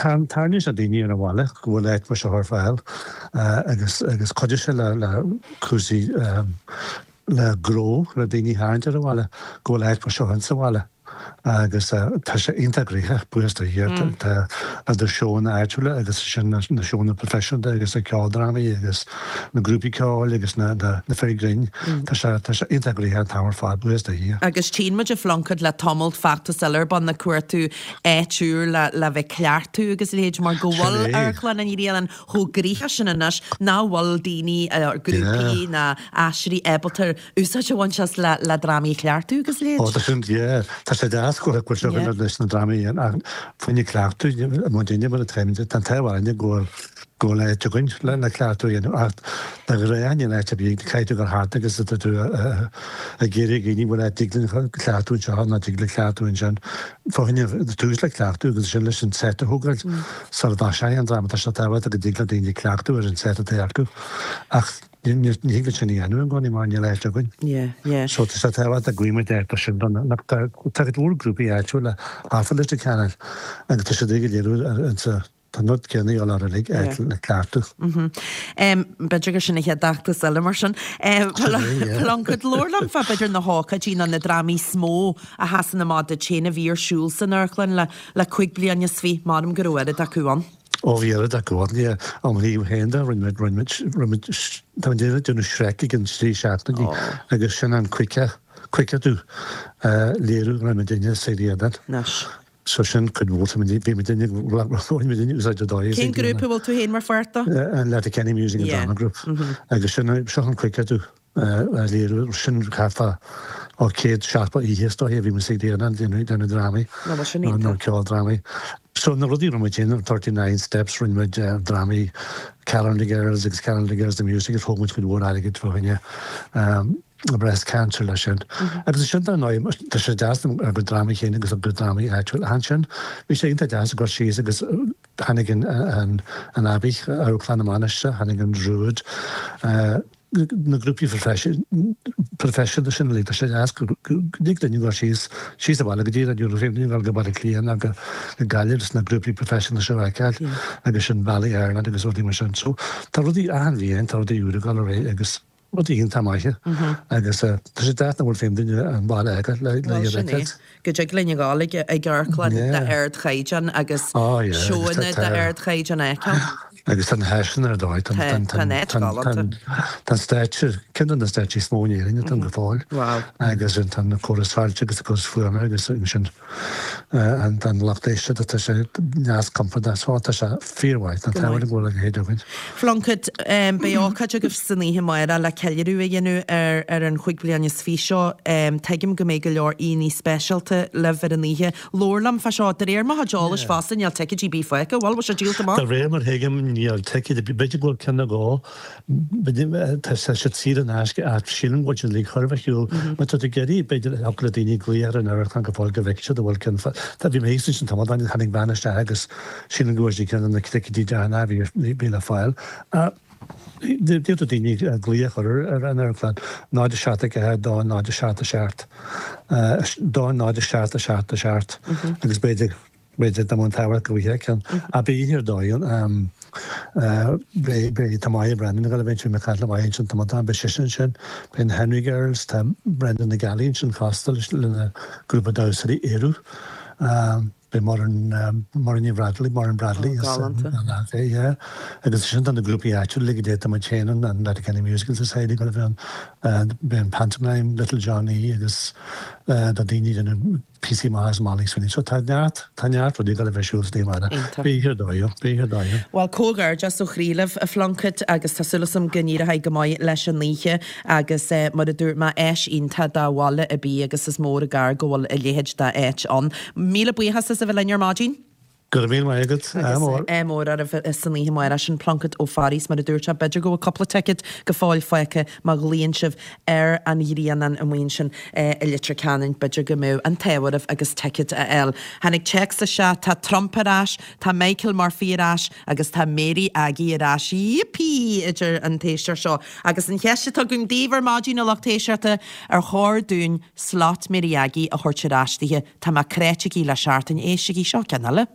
tarraingíonn sé daoine ar an bhaile go bhfuil áit mar seo ar fáil agus, agus cuideoidh sé le, le cúrsaí, le gnó, le daoine a tharraingt ar an bhaile go bhfuil áit mar seo ann sa bhaile. Agus tá sé iontach gnoitheach, buíochas do Dhia. Tá idir seónna áitiúla agus ansin na seónna proifisiúnta agus na ceoldrámaí agus na grúpaí ceoil agus na fir grinn. Tá sé tá sé iontach gnoitheach an t-am ar fad, buíochas do Dhia. Agus tchíonn muid a Phluincéid le tamall feachtas eile ar bun ag cuartú áit úr le le bheith ag cleachtadh agus a leithéid mar go bhfuil Amharclann an Ghrianáin chomh gnoitheach sin anois nach bhfuil daoine, grúpaí ná aisteoirí ábalta úsáid a bhaint as le le drámaí a chleachtadh agus a leithéid. Ó tá sin, yeah. Tá sé deas go bhfuil seo againn leis na drámaí a dhéanamh ach faoina cleachtadh, muidinne mar atá, tá an t-ádh orainne go bhfuil go bhfuil áit againn le le cleachtadh a dhéanamh ach de ghnáth níl áit ar bith, caithfidh tú dul thart agus tá tú ag iarraidh dhaoine bhfuil áit dtig linn cleachtadh anseo nó dtig le cleachtadh ansin. Fá choinne tús le cleachtadh agus ansin leis an set a thógáil sula dtoiseoidh an dráma tá sé tábhachtach go dtig le daoine cleachtadh ar an set atá acu ach Ní thig linn sin a dhéanamh i gcónaí mar níl áit againn. Yeah, yeah. So tá sé tábhachtach go bhfaighidh muid áit mar sin don na tá cuid mhór grúpaí áitiúla thart fá Leitir Ceanainn agus tá siad ag iarraidh ar insa. Tá an rud céanna ag dul ar uilig áit le ceartú. B'fhéidir gur sin an chéad fheachtas eile mar sin. Pluincéad, labhair liom fá b'fhéidir na hócáidí nó na drámaí is mó a sheasann amach duit féin a bhí ar siúl san amharclann le le 25 bliain, measaim go raibh oiread acu ann. Ó bhí oiread acu ann, yeah. Ó mo thaobh féin de, rinne muid, rinne muid, rinne muid, tá muid ag déanamh Shrek ag an 3 seachtainí agus sin an cuigeadh, cuigeadh léiriú a rinne muidinne sa Ghrianán. Anois. So sin cuid mhór, tá muid, bhí muidinne, bhain muidinne úsáid ar dóigh. Cén grúpa a bhfuil tú féin mar pháirt de? An Letterkenny Music and Drama Group. Agus sin, seo an cuigeadh a léiriú, sin thart fá ó 170 oíche is dóiche a bhí muid sa Ghrianán ag déanamh drámaí, nó ceoldrámaí. So na rudaí a rinne muid féin, 39 Steps, rinne muid drámaí Calendar Girls agus Calendar Girls the Musical, thóg muid cuid mhór airgid fá choinne. breast cancer leis sin. Agus ansin dar ndóigh, tá sé deas ár gcuid drámaí féin agus ár gcuid drámaí áitiúil. Ach ansin, bhí sé iontach deas ag dul síos agus tháinig an an Abbey, Amharclann na Mainistreach, tháinig an Druid, na grúpaí proifisiúnta sin uilig. Tá sé deas go dtig linn dul síos, síos abhaile go dtí an European Union, dul go Baile Átha Cliath nó go Gaillimh agus na grúpaí proifisiúnta seo a fheiceáil agus sin Ballet Ireland agus rudaí mar sin. So tá rudaí achan bhliain, tá rudaí úra ag dul ar aghaidh agus Rudaí iontach maithe agus tá sé deas nach bhfuil féin duine an baile aige le Bhuel sin é. Go dtig linn a ghabháil ag ag amharclann d'ardchaighdeán agus seóanna d'ardchaighdeán a fheiceáil. Agus tá na háiseanna ar dóigh. Tá an áit galánta. Tá an stáitse, ceann de na stáitsí is mó in Éirinn atá ann go fóill. Agus tá na córais fáilte agus na córais fuaime agus ansin an lucht éisteachta, tá sé deas compordach, so tá sé fíormhaith, tá an t-ádh go bhfuil a leithéid againn. Phluincéid, beidh ócáid agaibh san oíche amárach le ceiliúradh a dhéanamh ar ar an chúig bliana is fiche seo. Tuigim go mbeidh go leor aíonna speisialta libh ar an oíche. Labhair liom fá seo. De réir mo chuid eolais fosta níl ticéidí ar bith fágtha, bhfuil? Bhfuil sé díolta amach? De réir mar thuigim níl ticéid ar bith, b'fhéidir go bhfuil ceann nó dhó Tá siad saor in aisce ach sílim go bhfuil siad uilig chóir a bheith ar shiúl. Má tá tú ag iarraidh, b'fhéidir, thiocfadh le daoine glaoch ar an amharclann go fóill go bhfeicfidh siad an bhfuil ceann Tá, bhí mé thíos ansin tamall ó shin, tháinig bean isteach agus sílim go bhfuair sí ceann de na ticéidí deireanacha a bhí le fáil. D'fhéadfadh daoine glaoch a chur ar an amharclann, 0 7 4 2 0 7 7 2 0 7 7 7 agus b'fhéidir B'fhéidir dá mbeadh an t-ádh ort go bhfaighfeá ceann. Ach beidh oíche ar dóigh ann. Beidh, beidh, tá Máire Brennan ag dul a bheith ansin, Michael Maigh ansin, tá Madame, beidh sise ansin, beidh na Henry Girls, tá Brenda Nic Gealaigh ansin fosta leis, lena grúpa damhsóirí Ériu. Beidh Muireann, Muireann Ní Bhradley, Muireann Bradley Ó, galánta. yeah. Agus ansin tá na grúpaí áitiúla uilig, tá muid féin ann, an Letterkenny Musical Society ag dul a bheith ann, beidh an Pantomime, Little Johnny agus tá daoine ag déanamh píosaí maithe as Molly Sweeney. So tá neart, tá neart rudaí ag dul a bheith ar siúl san oíche amárach. Iontach. Beidh oíche ar dóigh ann, beidh oíche ar dóigh ann. Bhuel, comhghairdeas ó chroí libh, a Phluincéid, agus tá súil agam go n-éireoidh go maith leis an oíche agus mar a dúirt mé, áis iontach do bhaile ar bith agus is mór an gar go bhfuil a leithéid d'áit ann. Míle buíochas as a bheith linn ar maidin. Go raibh míle maith agat. Ádh mór. Ádh mór oraibh san oíche amárach. Sin Pluincéad Ó Fearraigh, mar a dúirt sé, b'fhéidir go bhfuil cúpla ticéad go fóill fágtha má ghlaonn sibh ar an Ghrianán amuigh ansin i Leitir Ceanainn, b'fhéidir go mbeadh an t-ádh oraibh agus ticéad a fháil. Tháinig téacs isteach, tá Trump ar ais, tá Michael Murphy ar ais agus tá Mary Aggie ar ais. Yippee! a deir an t-éisteoir seo. Agus an cheist atá againn daoibh ar maidin, a lucht éisteachta, ar chóir dúinn slot Mary Aggie a thabhairt ar ais dithe? Tá mé cráite aici le seachtain, éistigí, seo ceann eile.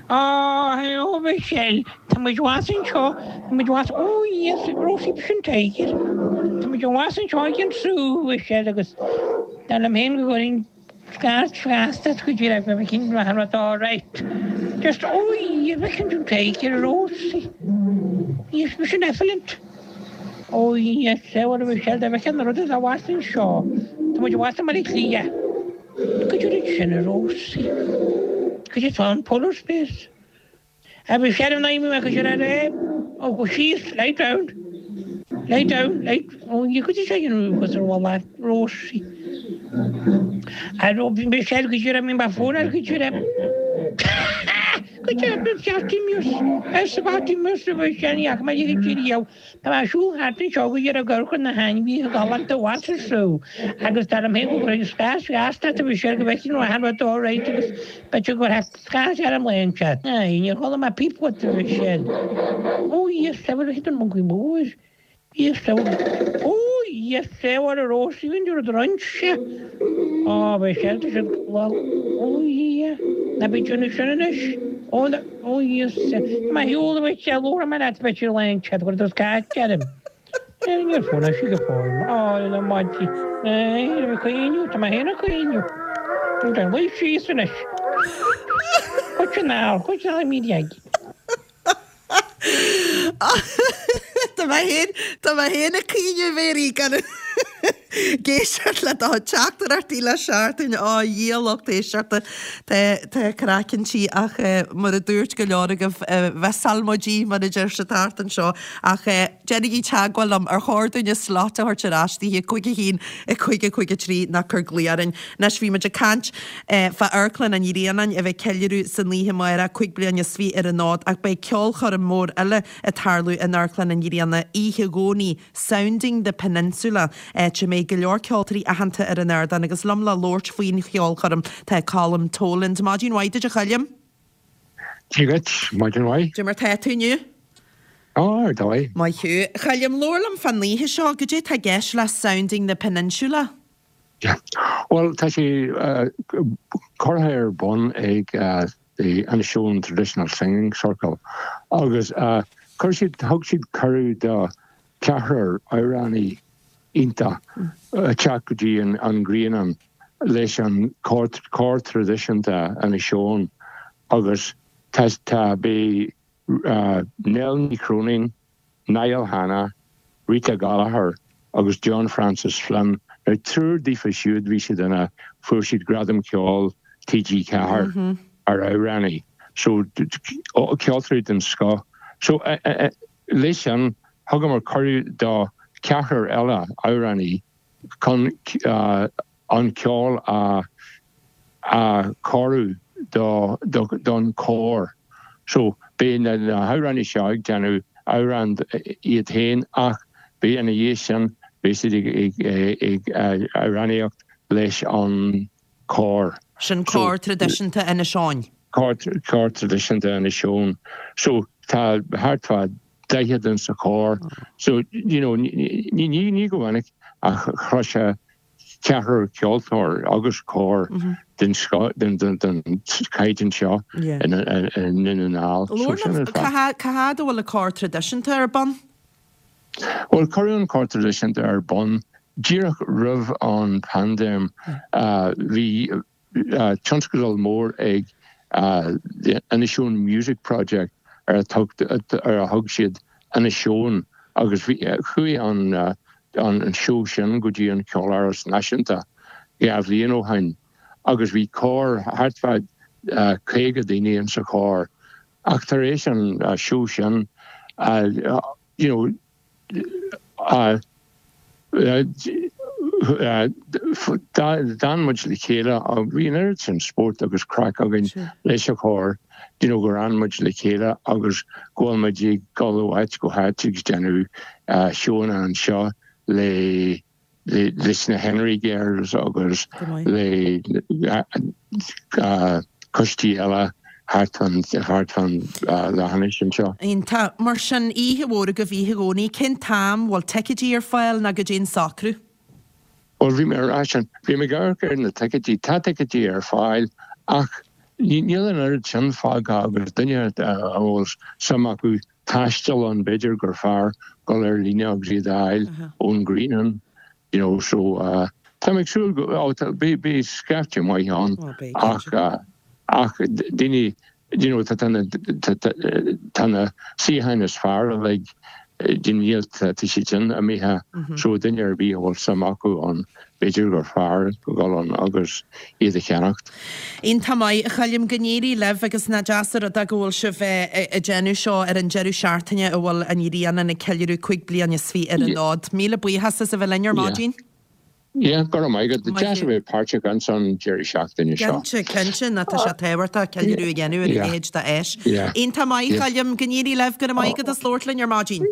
Á, hello Michelle, tá muid abhus anseo, tá muid abhus, oh yes, Rosie b'shin Tiger. Tá muid abhus anseo ag an Zoo, Michelle, agus dar liom féin go gcuirfinn scairt feasta go dtí raibh mé cinn maith an rud all right. Just, oh yes, b'shin Tiger, Rosie. Yes, b'shin excellent. Ó yes, a Mhichelle, dá bhfeicfeá na rudaí atá abhus anseo. Tá muid abhus i mBaile Átha Cliath. Cad é rud sin, a Rosie? Cad é atá ann, Polar Space? A Mhichelle, an aimigh mé go sin ar é? Ó, go síos, lie down. Lie down, lie, ó, ní cad é sin a dhéanamh ar bhalla, Rosie. A Mhichelle, go dtí raibh mé fón ar go dtí raibh. Go deimhin, Septimus, arsa Septimus, a Mhichelle, ní fhaca mé a leithéid riamh. Tá mé ag siúl thart anseo go dtí ag amharc ar na hainmhithe galánta abhus sa zú agus dar liom féin go gcuirfinn scairt gheasta ort a Mhichelle go bhfeicfinn an rud all right agus b'fhéidir go gcuirfeá scairt orm lá inteacht. Aye, níor chuala mé píp uait a Mhichelle. Ó, yes, a bhfuil an moncaí mór. Yes, a bhfuil. Ó, yes, a bhfuil a Rosie an rud roinnte. Á, Mhichelle, tá siad, ó, yeah, ná bí ag déanamh sin anois. Ó, ó, Íosa. Má shiúl duit, labhróidh mé leat b'fhéidir lá inteacht go raibh tú scáth orm. Níor fuair sí go fóill. Á, na maidí. Ag caoineadh, tá mé féin ag caoineadh. Tá luí síos anois. Cuid an ár, cuid an mí dheag. Tá mé féin, tá mé féin ag caoineadh, a Mhéirí, gan ag éisteacht le do teachtaireachtaí le seachtain. Á, a Dhia, lucht éisteachta, tá, tá craiceann tí ach mar a dúirt go leor agaibh, mhissáil muid í, mar a deir siad thart anseo. Ach déanaigí teagmháil liom, ar chóir dúinn a slot a thabhairt ar ais daoithe, 5 1 5 5 3 ná cuir glao orainn. Anois bhí muid ag caint fá Amharclann an Ghrianáin a bheith ag ceiliúradh san oíche amárach, 25 bliain ar an fhód, ach beidh ceolchoirm mór eile ag tarlú in Amharclann an Ghrianáin oíche Dhomhnaigh, Sounding the Peninsula, áit a mbeidh go leor ceoltóirí aitheanta ar an ardán agus liom le labhairt faoin cheolchoirm tá Colm Toland. Maidin mhaith duit a Choilm. Dia dhuit, maidin mhaith. Cad é mar tá tú inniu? Á, ar dóigh. Maith thú. A Choilm, labhair liom fán oíche seo, goidé tá i gceist le Sounding the Peninsula? Yeah. Bhuel, tá sé curtha ar bun ag the Inishowen Traditional Singing Circle agus chuir siad, thug siad cuireadh do cheathrar amhránaí iontach teacht go dtí an Grianán leis an cór traidisiúnta Inis Eoghain agus tá, tá, beidh Nell Ní Chróinín, Niall Hanna, Rita Gallagher agus John Francis Flynn. Now triúr daofa siúd bhí siad ina, fuair siad Gradam Ceoil TG4 mar amhránaí. So ceoltóirí den scoth. So leis sin thugamar cuireadh do cheathrar eile amhránaí chun an ceol a chóiriú don chór. So, beidh na hamhránaí seo ag déanamh amhrán iad féin ach beidh ina dhiaidh sin, beidh siad ag amhránaíocht leis an chór. Sin cór traidisiúnta Inis Eoghain. Cór traidisiúnta Inis Eoghain. So, tá thart fá 40 in sa chór. So, you know, ní go minic a chloisfeá ceathrar ceoltóir agus cór den chaighdeán seo i nDún na nGall. So, sin an fáth. Cá fhad a bhfuil an cór traidisiúnta ar bun? Bhuel, cuireadh an cór traidisiúnta ar bun díreach roimh an paindéim. Bhí tionscadal mór ag The Inishowen Music Project ar a thug siad Inishowen agus chuaigh an seó sin go dtí an Ceoláras Náisiúnta 2 bhliain ó shin agus bhí cór thart fá 50 daoine in sa chór ach tar éis an seó sin you know D'fhan muid le chéile, bhí an oiread sin spórt agus craic againn leis an chór, you know, gur fhan muid le chéile agus go bhfuil muid ag dul ó áit go háit agus déanamh seóanna anseo le leis na Henry Girls agus le coistí eile thart fán leathinis anseo. Iontach. Mar sin, oíche mhór agaibh oíche Dhomhnaigh. Cén t-am? Bhfuil ticéidí ar fáil nó goidé an socrú? Bhuel, bhí mé ar ais an, bhí mé ag amharc ar na ticéidí. Tá ticéidí ar fáil ach níl an oiread sin fágtha agus duine a bhfuil suim acu taisteal ann, b'fhéidir gur fearr dul ar líne agus iad a fháil ón Ghrianán, you know, so tá mé ag súil go, oh, beidh, beidh scaifte maith ann ach, ach daoine, you know, tá na, tá na suíocháin is fearr uilig, níl, tá siad sin imithe, so duine ar bith a bhfuil suim acu ann, B'fhéidir gur fearr dul ann agus iad a cheannacht. Iontach maith, a Choilm, go n-éirí libh agus nach deas an rud é go bhfuil sibh ag déanamh seo ar an deireadh seachtaine a bhfuil an Ghrianán ag ceiliúradh 25 bliain ar an fhód. Míle buíochas as a bheith linn ar maidin. Yeah, go raibh maith agat. Deas a bheith páirteach ins an deireadh seachtaine seo. Cinnte, cinnte, ná tá sé tábhachtach ceiliúradh a dhéanamh ar a leithéid de áis. Iontach maith, a Choilm, go n-éirí libh, go raibh maith agat as labhairt linn ar maidin.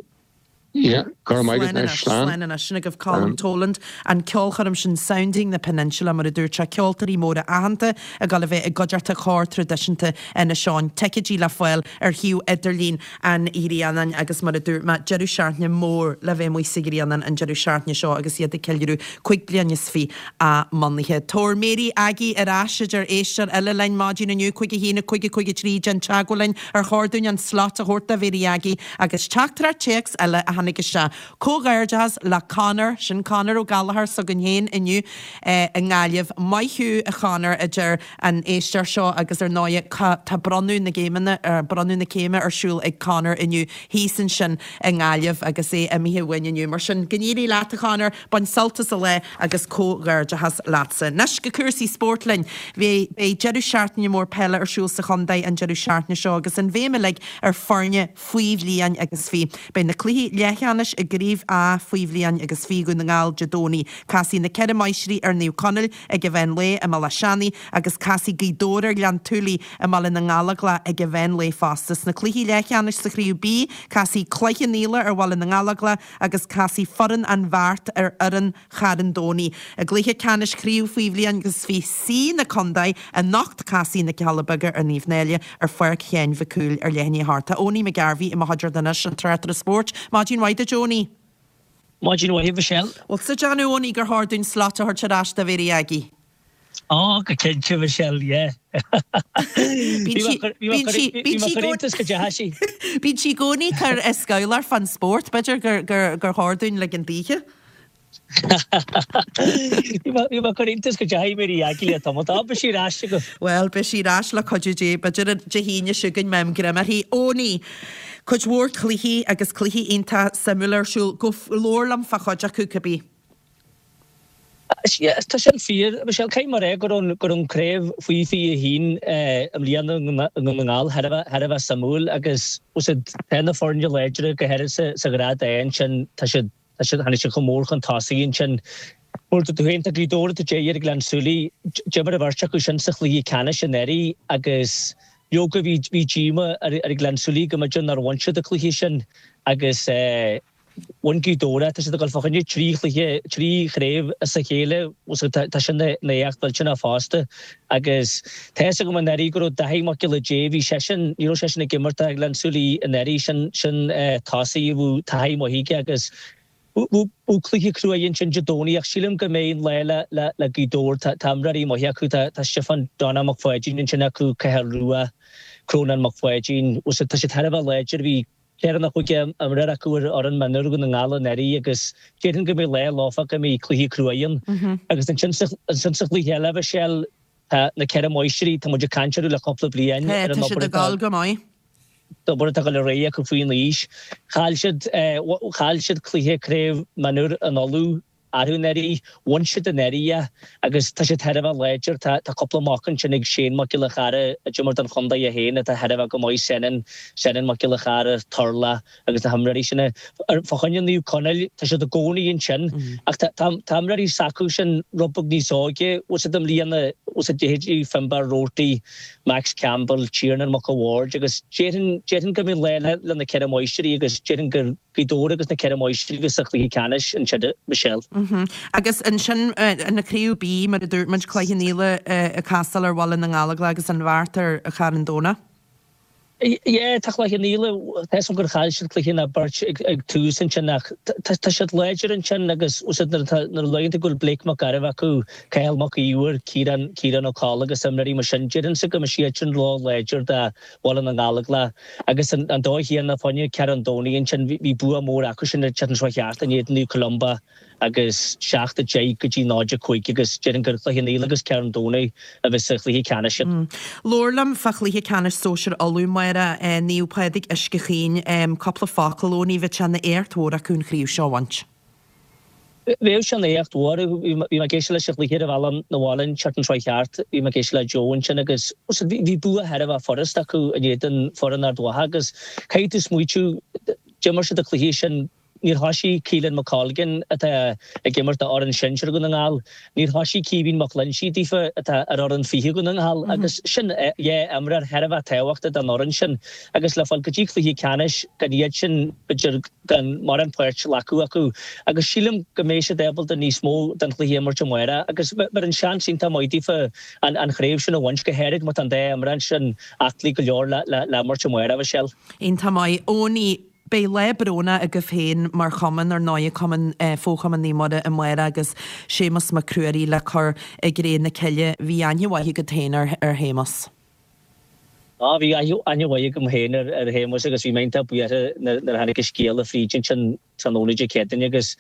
Yeah, go raibh maith agat Slán anois, anois, slán. slán anois. Sin agaibh Colm Toland, an ceolchoirm sin Sounding the Peninsula, mar a dúirt sé, ceoltóirí móra aitheanta ag dul a bheith i gcuideachta Chór Traidisiúnta Inis Eoghain. Ticéidí le fáil ar shuíomh idirlín an Ghrianáin agus mar a dúirt mé, deireadh seachtaine mór le bheith amuigh sa Ghrianán an deireadh seachtaine seo agus iad ag ceiliúradh 25 bliain a mbunaithe. Tabhair Mary Aggie ar ais, a deir éisteoir eile linn maidin inniu, 5 1 5 5 3, déan teagmháil linn ar chóir dúinn an slot a thabhairt do Mhary Aggie Agus teachtaireacht téacs eile a tháinig isteach. Comhghairdeachas le Conor, sin Conor Ó Gallchóir s'againn féin inniu i nGaillimh. Maith thú a Chonor, a deir an éisteoir seo agus ar ndóigh tá bronnadh na gcéimeanna, bronnadh na céime ar siúl ag Conor inniu thíos ansin i nGaillimh agus é imithe uainn inniu. Mar sin, go n-éirí leat a Chonor, bain sult as an lá agus comhghairdeachas leatsa. Anois go cúrsaí spóirt linn. Beidh deireadh seachtaine mór peile ar siúl sa chontae an deireadh seachtaine seo agus an bhéim uilig ar foirne faoi bhliain agus faoi. Beidh na cluichí leathcheannais i gCraobh A faoi bhliain agus faoi Dhún na nGall Dé Domhnaigh. Casfaidh na Ceithre Máistrí ar Naomh Conaill ag an mheán lae i mBealach Seanaidh agus casfaidh Gaoth Dobhair ar Ghleann tSúilí i mBaile na nGallóglach ag an mheán lae fosta. Sna cluichí leathcheannais sa Chraobh B, casfaidh Cloich Cheann Fhaola ar Bhaile na nGallóglach agus casfaidh foireann an Bheart ar fhoireann Charn Domhnaigh. I gcluiche ceannais Chraobh Faoi Bhliain agus Faoi C na Condae anocht casfaidh na Cealla Beaga ar Naomh Náille ar Pháirc Sheáin Mhic Cumhaill ar leath i ndiaidh a hocht. Tá Owenie McGarvey i mo chuideachta anois, an tráchtaire spóirt. Maidin mhaith duit Owenie. Maidin mhaith a Mhichelle. Bhfuil tú ag déanamh Owenie gur chóir dúinn slot a thabhairt ar ais do Mhary Aggie? Á, go cinnte, Michelle, yeah. Bhí mé ag cur iontas go deas í. Bíonn sí i gcónaí ag cur a scabhláir fán spórt, b'fhéidir gur chóir dúinn ligean daoithe. Bhí mé ag cur iontas go deas í Mary Aggie le tamall. Tá, beidh sí ar ais agaibh. Bhuel, beidh sí ar ais le cuidiú Dé, b'fhéidir Dé hAoine seo chugainn, má fhaighim greim uirthi. Owenie, cuid mhór cluichí agus cluichí iontach suimiúla ar siúl. Go, labhair liom fá chuid acu, cibé. Tá sin fíor, Michelle. Caithfidh mé a rá go raibh go raibh an craobh faoi 21 i mbliana i nDún na nGall thar a bheith thar a bheith suimiúil agus tá na foirne láidre go háirithe sa sa ghrád A ansin tá siad tá siad tháinig siad chomh mór chun tosaigh ansin. Mar dúirt tú féin tá Gaoth Dobhair atá ag ar Ghleann tSúilí. D'imir an bheirt acu sin sa chluiche ceannais anuraidh agus leoga bhí bhí díoma ar ar Ghleann tSúilí go mb'fhéidir nár bhain siad an cluiche sin agus Bhain Gaoth Dobhair é. Tá siad ag dul fá choinne trí chluiche, trí chraobh as a chéile. Tá sin ina éacht mhillteanach fosta. Agus tá fhios agam anuraidh go raibh Dáithí Mac Giolla Dé, bhí seisean, ní raibh seisean ag imirt do Ghleann tSúilí anuraidh, sin, sin tosaí a bhfuil taithí maith aige agus bheadh cluiche cruaidh ansin Dé Domhnaigh ach sílim go mbeidh an lá le, le, le Gaoth Dobhair. Tá, tá imreoirí maithe acu, tá, tá Stiofán Donagh Mac Pháidín ansin acu, Cathal Rua, Crónán Mac Pháidín, tá siad thar a bheith láidir, bhí Ceithre nó chúig imreoir acu ar fhoireann mionúir Dhún na nGall anuraidh agus déarfainn go mbeidh lá leofa go mbeidh cluiche cruaidh ann. Agus ansin ansin sa chluiche eile, Michelle, tá na Ceithre Máistrí, tá muid ag caint orthu le cúpla bliain ar an obair atá ag dul go maith. obair atá ag dul ar aghaidh acu faoin aois. Chaill siad chaill siad cluiche craobh mionúir in Uladh arú anuraidh. Bhain siad anuraidh é agus tá siad thar a bheith láidir. Tá tá cúpla mac ansin ag Shane Mac Giolla Chara a d'imir don chontae é féin atá thar a bheith go maith, Senan, Senan Mac Giolla Chara, Turlough agus na himreoirí sin. Fá choinne Naomh Conaill, tá siad i gcónaí ansin ach tá tá tá imreoirí s'acu sin rud beag níos óige, bhfuil a fhios agat i mbliana, bhfuil a fhios agat leithéidí Finbarr Roarty, Max Campbell, Tiernan Mac a' Bhaird agus déarfainn déarfainn go mbeidh lá le le na Ceithre Máistrí agus déarfainn gur Gaoth Dobhair agus na Ceithre Máistrí a bheas sa chluiche ceannais ansin, Michelle. Agus ansin ina Craobh B, mar a dúirt muid, Cloich Cheann Fhaola ag castáil ar Bhaile na nGallóglach agus an Bheart ar Charn Domhnach. Yeah, tá Cloich Cheann Fhaola, tá 'fhios agam gur chaill siad cluiche nó beirt ag tús ansin ach tá siad láidir ansin agus nuair a luann tú go bhfuil Blake Mac Gairbheith acu, Cathal Mac Íomhair, Ciarán, Ciarán Ó Colla agus imreoirí mar sin, déarfainnse go mbeidh siad sin ró-láidir do Bhaile na nGallóglach agus an dóigh chéanna fá choinne Charn Domhnaigh ansin, bhí bua mór acu sin an tseachtain seo thart in éadan Naomh Columba agus 7 10 go dtí 0 5 agus déarfainn gur Cloich Cheann Fhaola agus Carn Domhnaigh a bheas sa chluiche ceannais sin. Labhair liom fá chluiche ceannais sóisir Uladh, amárach, Naomh Pádraig Uisce Chaoin, cúpla focal, Owenie, bheadh sé ina éacht mhór acu an chraobh seo a bhaint. Bheadh sé ina éacht mhór. Bhí mé ag éisteacht leis an chluiche ar an bhealach 'na bhaile an tseachtain seo thart. Bhí mé ag éisteacht le Joe ansin agus bhí bua thar a bheith furast acu in éadan foireann Ard Mhacha agus caithfidh tú smaoitiú, d'imir siad an cluiche sin. Níor thoisigh Keelan McColgan atá ag imirt do fhoireann sinsir Dhún na nGall, níor thoisigh Caoimhín Mac Loinsigh daofa atá ar fhoireann 20 Dhún na nGall agus sin dhá imreoir thar a bheith tábhachtach don fhoireann sin agus le fáil go dtí cluiche ceannais gan iad sin b'fhéidir gan mórán páirt a ghlacadh acu agus sílim go mbeidh siad ábalta níos mó den chluiche a imirt amárach agus bheadh an seans iontach maith daofa an chraobh sin a bhaint, go háirid má tá an dá imreoir sin aclaí go leor le imirt amárach, a Mhichelle. Iontach maith. Owenie, beidh lá brónach agaibh féin mar chumann, ar ndóigh, Cumann, Fo-Chumann Naomh Muire amárach agus Séamus Mac Ruairí le cur i gcré na cille. Bhí aithne mhaith agat féin ar Shéamus. Á, bhí aithne mhaith agam féin ar Shéamus agus bhí mé iontach buartha nuair a tháinig an scéala fríd ansin tráthnóna Dé Céadaoine agus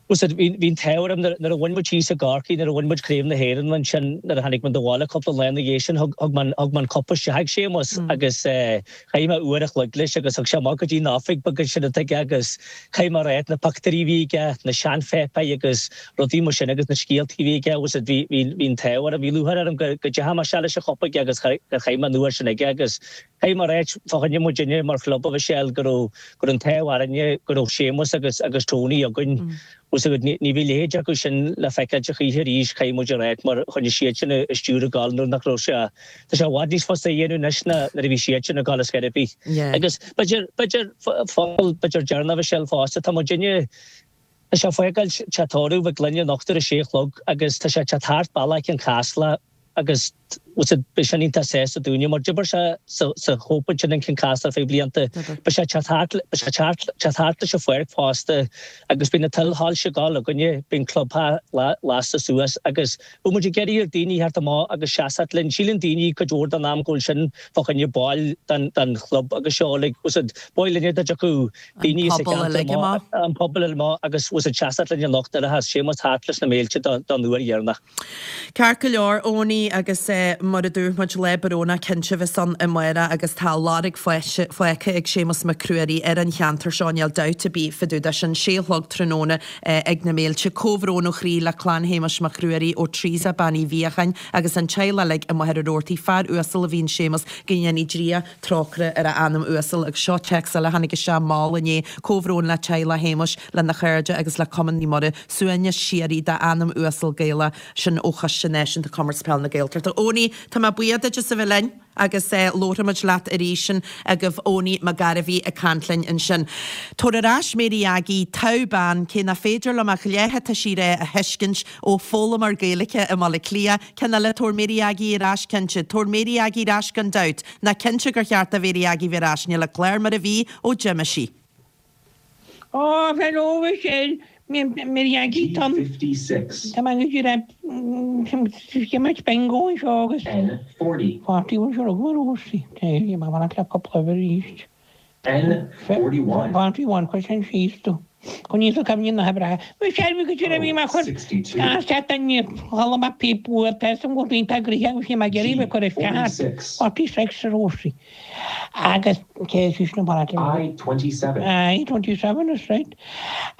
bhí an t-ádh orm nuair a bhain muid thíos i gCorcaigh, nuair a bhain muid Craobh na hÉireann ansin, nuair a tháinig muid abhaile cúpla lá ina dhiaidh sin, thug mé an cupa isteach ag Séamus agus chaith mé uair a chloig leis agus thug sé amach go dtí an oifig beag ansin atá aige agus chaith mé ar na pictiúirí a bhí aige, na seanpháipéir agus rudaí mar sin agus na scéaltaí a bhí aige agus bhí an t-ádh orm, bhí lúcháir orm go dteachaigh mé isteach leis an chupa aige agus gur chaith mé an uair sin aige agus Caithfidh mé a ráit, fá choinne muidinne mar chlub, a Mhichelle, go raibh, go raibh an t-ádh orainne go raibh Séamus agus, agus Tony againn. Bhfuil fhios agat, ní, ní bheidh a leithéid acu sin le feiceáilt a choíche arís, caithfidh muid a ráit, mar choinnigh siad sin an stiúir ag gabháil nuair nach raibh sé, tá sé i bhfad níos fusa a dhéanamh anois ná nuair a bhí siad sin ag gabháil ar scor ar bith. Agus b'fhéidir, b'fhéidir, focal, b'fhéidir deireanach, a Mhichelle, fosta, tá muidinne, tá sé ag fágáil teach tórraimh Mhic Gloinn anocht ar a sé a chlog agus tá sé ag teacht thart bealach Chionn Caslach, agus bhfuil fhios agat, beidh sin iontach sásta dúinne mar d'oibir sé sa chóip ansin in Cionn Caslach ar feadh blianta. Beidh sé ag teacht thart, beidh sé ag teacht, teacht thart leis an pháirc fosta agus beidh na tuilshoilse ag gabháil againne, beidh an clubtheach lasta suas agus bhfuil muid ag iarraidh ar daoine theacht amach agus seasacht linn. Síleann daoine cuid mhór den am go bhfuil sin fá choinne baill den, den chlub agus seo like, bhfuil fhios agat, b'áil linne dá dtiocfadh daoine sa cheantar amach, an pobal amach agus bhfuil fhios agat seasacht linn anocht nuair a theas Séamus thart leis na mílte don uair dheireanach. Ceart go leor, Owenie, agus mar a dúirt muid, lá brónach cinnte a bheas ann amárach agus tá lorg fágtha ag Séamus Mac Ruairí ar an cheantar seo, níl dabht ar bith fá dtaobh de sin. Sé a chlog tráthnóna ag na Méilte. Comhbhrón ó chroí le clann Shéamuis Mac Ruairí ó Teresa Bean Uí Mhíocháin agus an teaghlach uilig i Machaire Rabhartaigh. Fear uasal a bhí in Séamus, go ndéanaí Dia trócaire ar a anam uasal. Agus seo téacs eile a tháinig isteach mall inné, Comhbhrón le teaghlach Shéamuis, lena chairde agus le Cumann Naomh Muire. Suaimhneas síoraí dá anam uasal Gaelach sin ó Choiste Náisiúnta Comórtas Peile na Gaeltachta. Owenie, tá mé buíoch duit as a bheith linn agus labharfaimid leat arís sin agaibh Owenie Mac Gairbhí ag caint linn ansin. Tabhair ar ais Mary Aggie, togha bean, cé nach féidir liom ach leath atá sí rá a thuiscint ó foghlaimeoir Gaeilge i mBaile Átha Cliath. Ceann eile, tabhair Mary Aggie ar ais cinnte. Tabhair Mary Aggie ar ais gan dabht. Nach cinnte gur cheart do Mhary Aggie bheith ar ais, níl an clár mar a bhí ó d'imigh sí. Ó, hello, Michelle. Mary Aggie, Tom. Tá mé go dtí imirt bingo anseo agus. N40. 41 seo agam arís. Tá mé ag fanacht le cúpla uimhir arís. N41. 41, cuir sin síos tú. Chun níos cuimhní na hoibrithe. Michelle, bhí go dtí bhí mé chur isteach duine chuala mé píp uair tá an bhfuil tá gnoithe agus bhí mé ag iarraidh bheith cur isteach. 46 arís. Agus cé is sin an paráid? I-27. I-27, that's right.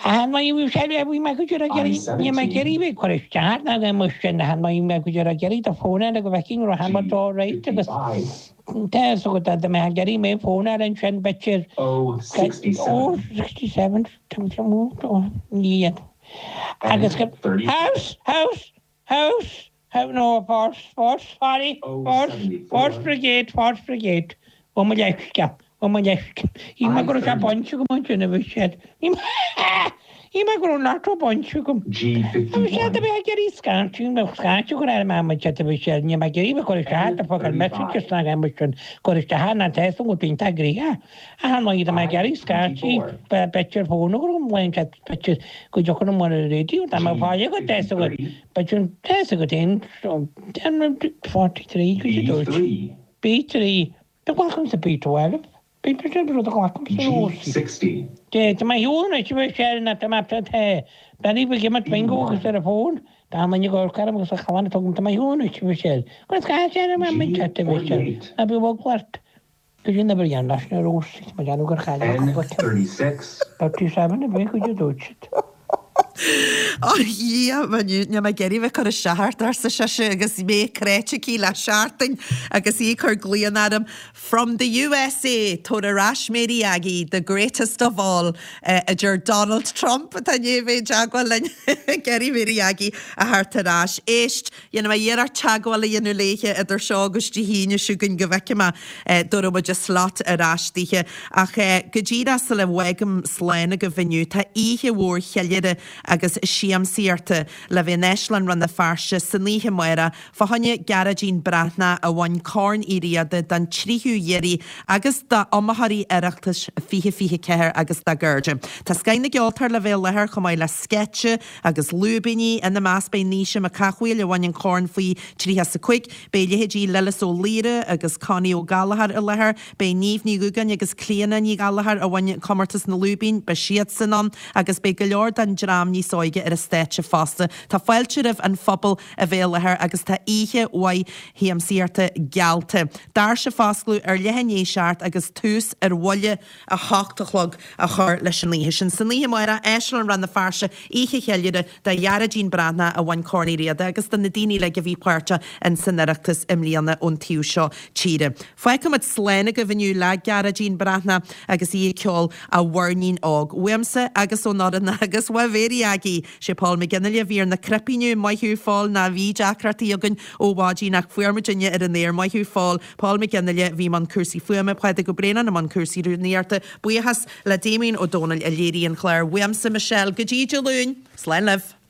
An bhí sé bhí mé go dtí ag iarraidh bhí mé ag iarraidh bheith cur isteach ná go mbeadh sin an bhí mé go dtí ag iarraidh do fónáil go bhfeicfinn raibh an rud all right agus tá a fhios agat dá mbeadh ag iarraidh mé fónáil ansin b'fhéidir O67. O67 ní agus house house house House, no, force, force, sorry, force, force brigade, force brigade. Ó mo leithscéal, ó mo leithscéal. Shíl mé go raibh sé bainte agam ansin a bhí siad. Shíl mé go raibh an lotto bainte agam. Bhí siad a bheith ag iarraidh scairteadh, bheadh scairteadh go raibh mé amuigh a bhí siad, níl mé ag iarraidh bheith cur isteach do fuck an messages ná aon rud sin, cur isteach ná tá fhios agam go bhfuil iontach gnoitheach. Ach ar ndóigh tá mé ag iarraidh scairteadh, b'fhéidir fón a chur agam, b'fhéidir go dtiocfaidh an ar an raidió, tá mé ag fáil agat, tá fhios agat. Beidh an test agat féin 43 go dtí dúirt. B3. B3. Do ghlacaimse B12. B sin rud a ghlacaimse G60. Dé tá mé shiúl anois a bheith sé na tá mé tá Benny bhí imirt bingo agus ar an bhfón. Tá an duine go orm agus a chalán tugaim tá mé shiúl anois a bheith sé. Agus caithfidh sé ar an mé chat a bheith sé. Ná bí bhog leat. Go dtí an obair dhéan leis na rós is mo dhearúd gur chaill mé cúpla ceann. N36. 37 a bheith go dtí dúirt siad. Ó a Dhia, níl mé ag iarraidh bheith ag cur isteach ort, arsa sise agus mé cráite aici le seachtain agus í ag cur glaonna orm From the USA, tabhair ar ais Mary Aggie, the greatest of all, a deir Donald Trump atá i ndiaidh a bheith i dteagmháil linn ag iarraidh Mary Aggie a thabhairt ar ais. Éist, dhéanfaidh mé iarracht teagmháil a dhéanamh léithe idir seo agus Dé hAoine seo chugainn go bhfeicfidh mé an dtabharfaidh muid a slot ar ais dithe. Ach go díreach sula bhfágaim slán agaibh inniu, tá oíche mhór cheiliúrtha agus siamsaíochta le bheith in Áislann Rann na Feirste san oíche amárach Fá choinne Gearóidín Breathnach a bhain Corn Uí Riada don tríú hiarraidh agus d'iomaitheoirí Oireachtais 2024 agus dá gcairde. Tá scoth na gceoltóirí le bheith i láthair chomh maith le sceitse agus lúibíní. Ina measc beidh Naoise Mac Cathmhaoil a bhain an corn faoi 35, beidh leithéidí Lillis Ó Laoire agus Connie Ó Gallchóir i láthair, beidh Niamh Ní Dhúgáin agus Clíona Ní Ghallchóir a bhain comórtas na lúibín, beidh siadsan ann agus beidh go leor den dream níos óige ar an stáitse fosta. Tá fáilte roimh an phobal a bheith i láthair agus tá oíche mhaith shiamsaíochta geallta. Doirse ag foscladh ar leath i ndiaidh 7 agus tús ar bhuille 8 a chlog a chur leis an oíche sin. San oíche amárach, Áislann Rann na Feirste, oíche cheiliúrtha do Ghearóidín Breathnach a bhain Corn Uí Riada agus do na daoine uilig a bhí páirteach in san Oireachtas i mbliana ón taobh seo tíre. Fágfaimid slán agaibh inniu le Gearóidín Breathnach agus í ag ceol A Mhuirnín Óg. Uaimse agus ón fhoireann agus ó Mhéirí Aggie! Sé Paul McGinley a bhí ar na cnaipí inniu. Maith thú, Phól. Ná bhí deacrachtaí againn ó mhaidin ach fuair muidinne ar an aer. Maith thú, Phól. Paul McGinley a bhí i mbun cúrsaí fuaime, Pádraig Ó Braonáin i mbun cúrsaí rúnaíochta. Buíochas le Damien Ó Dónaill a léirigh an clár. Uaimse, Michelle, go dtí Dé Luain. Slán libh.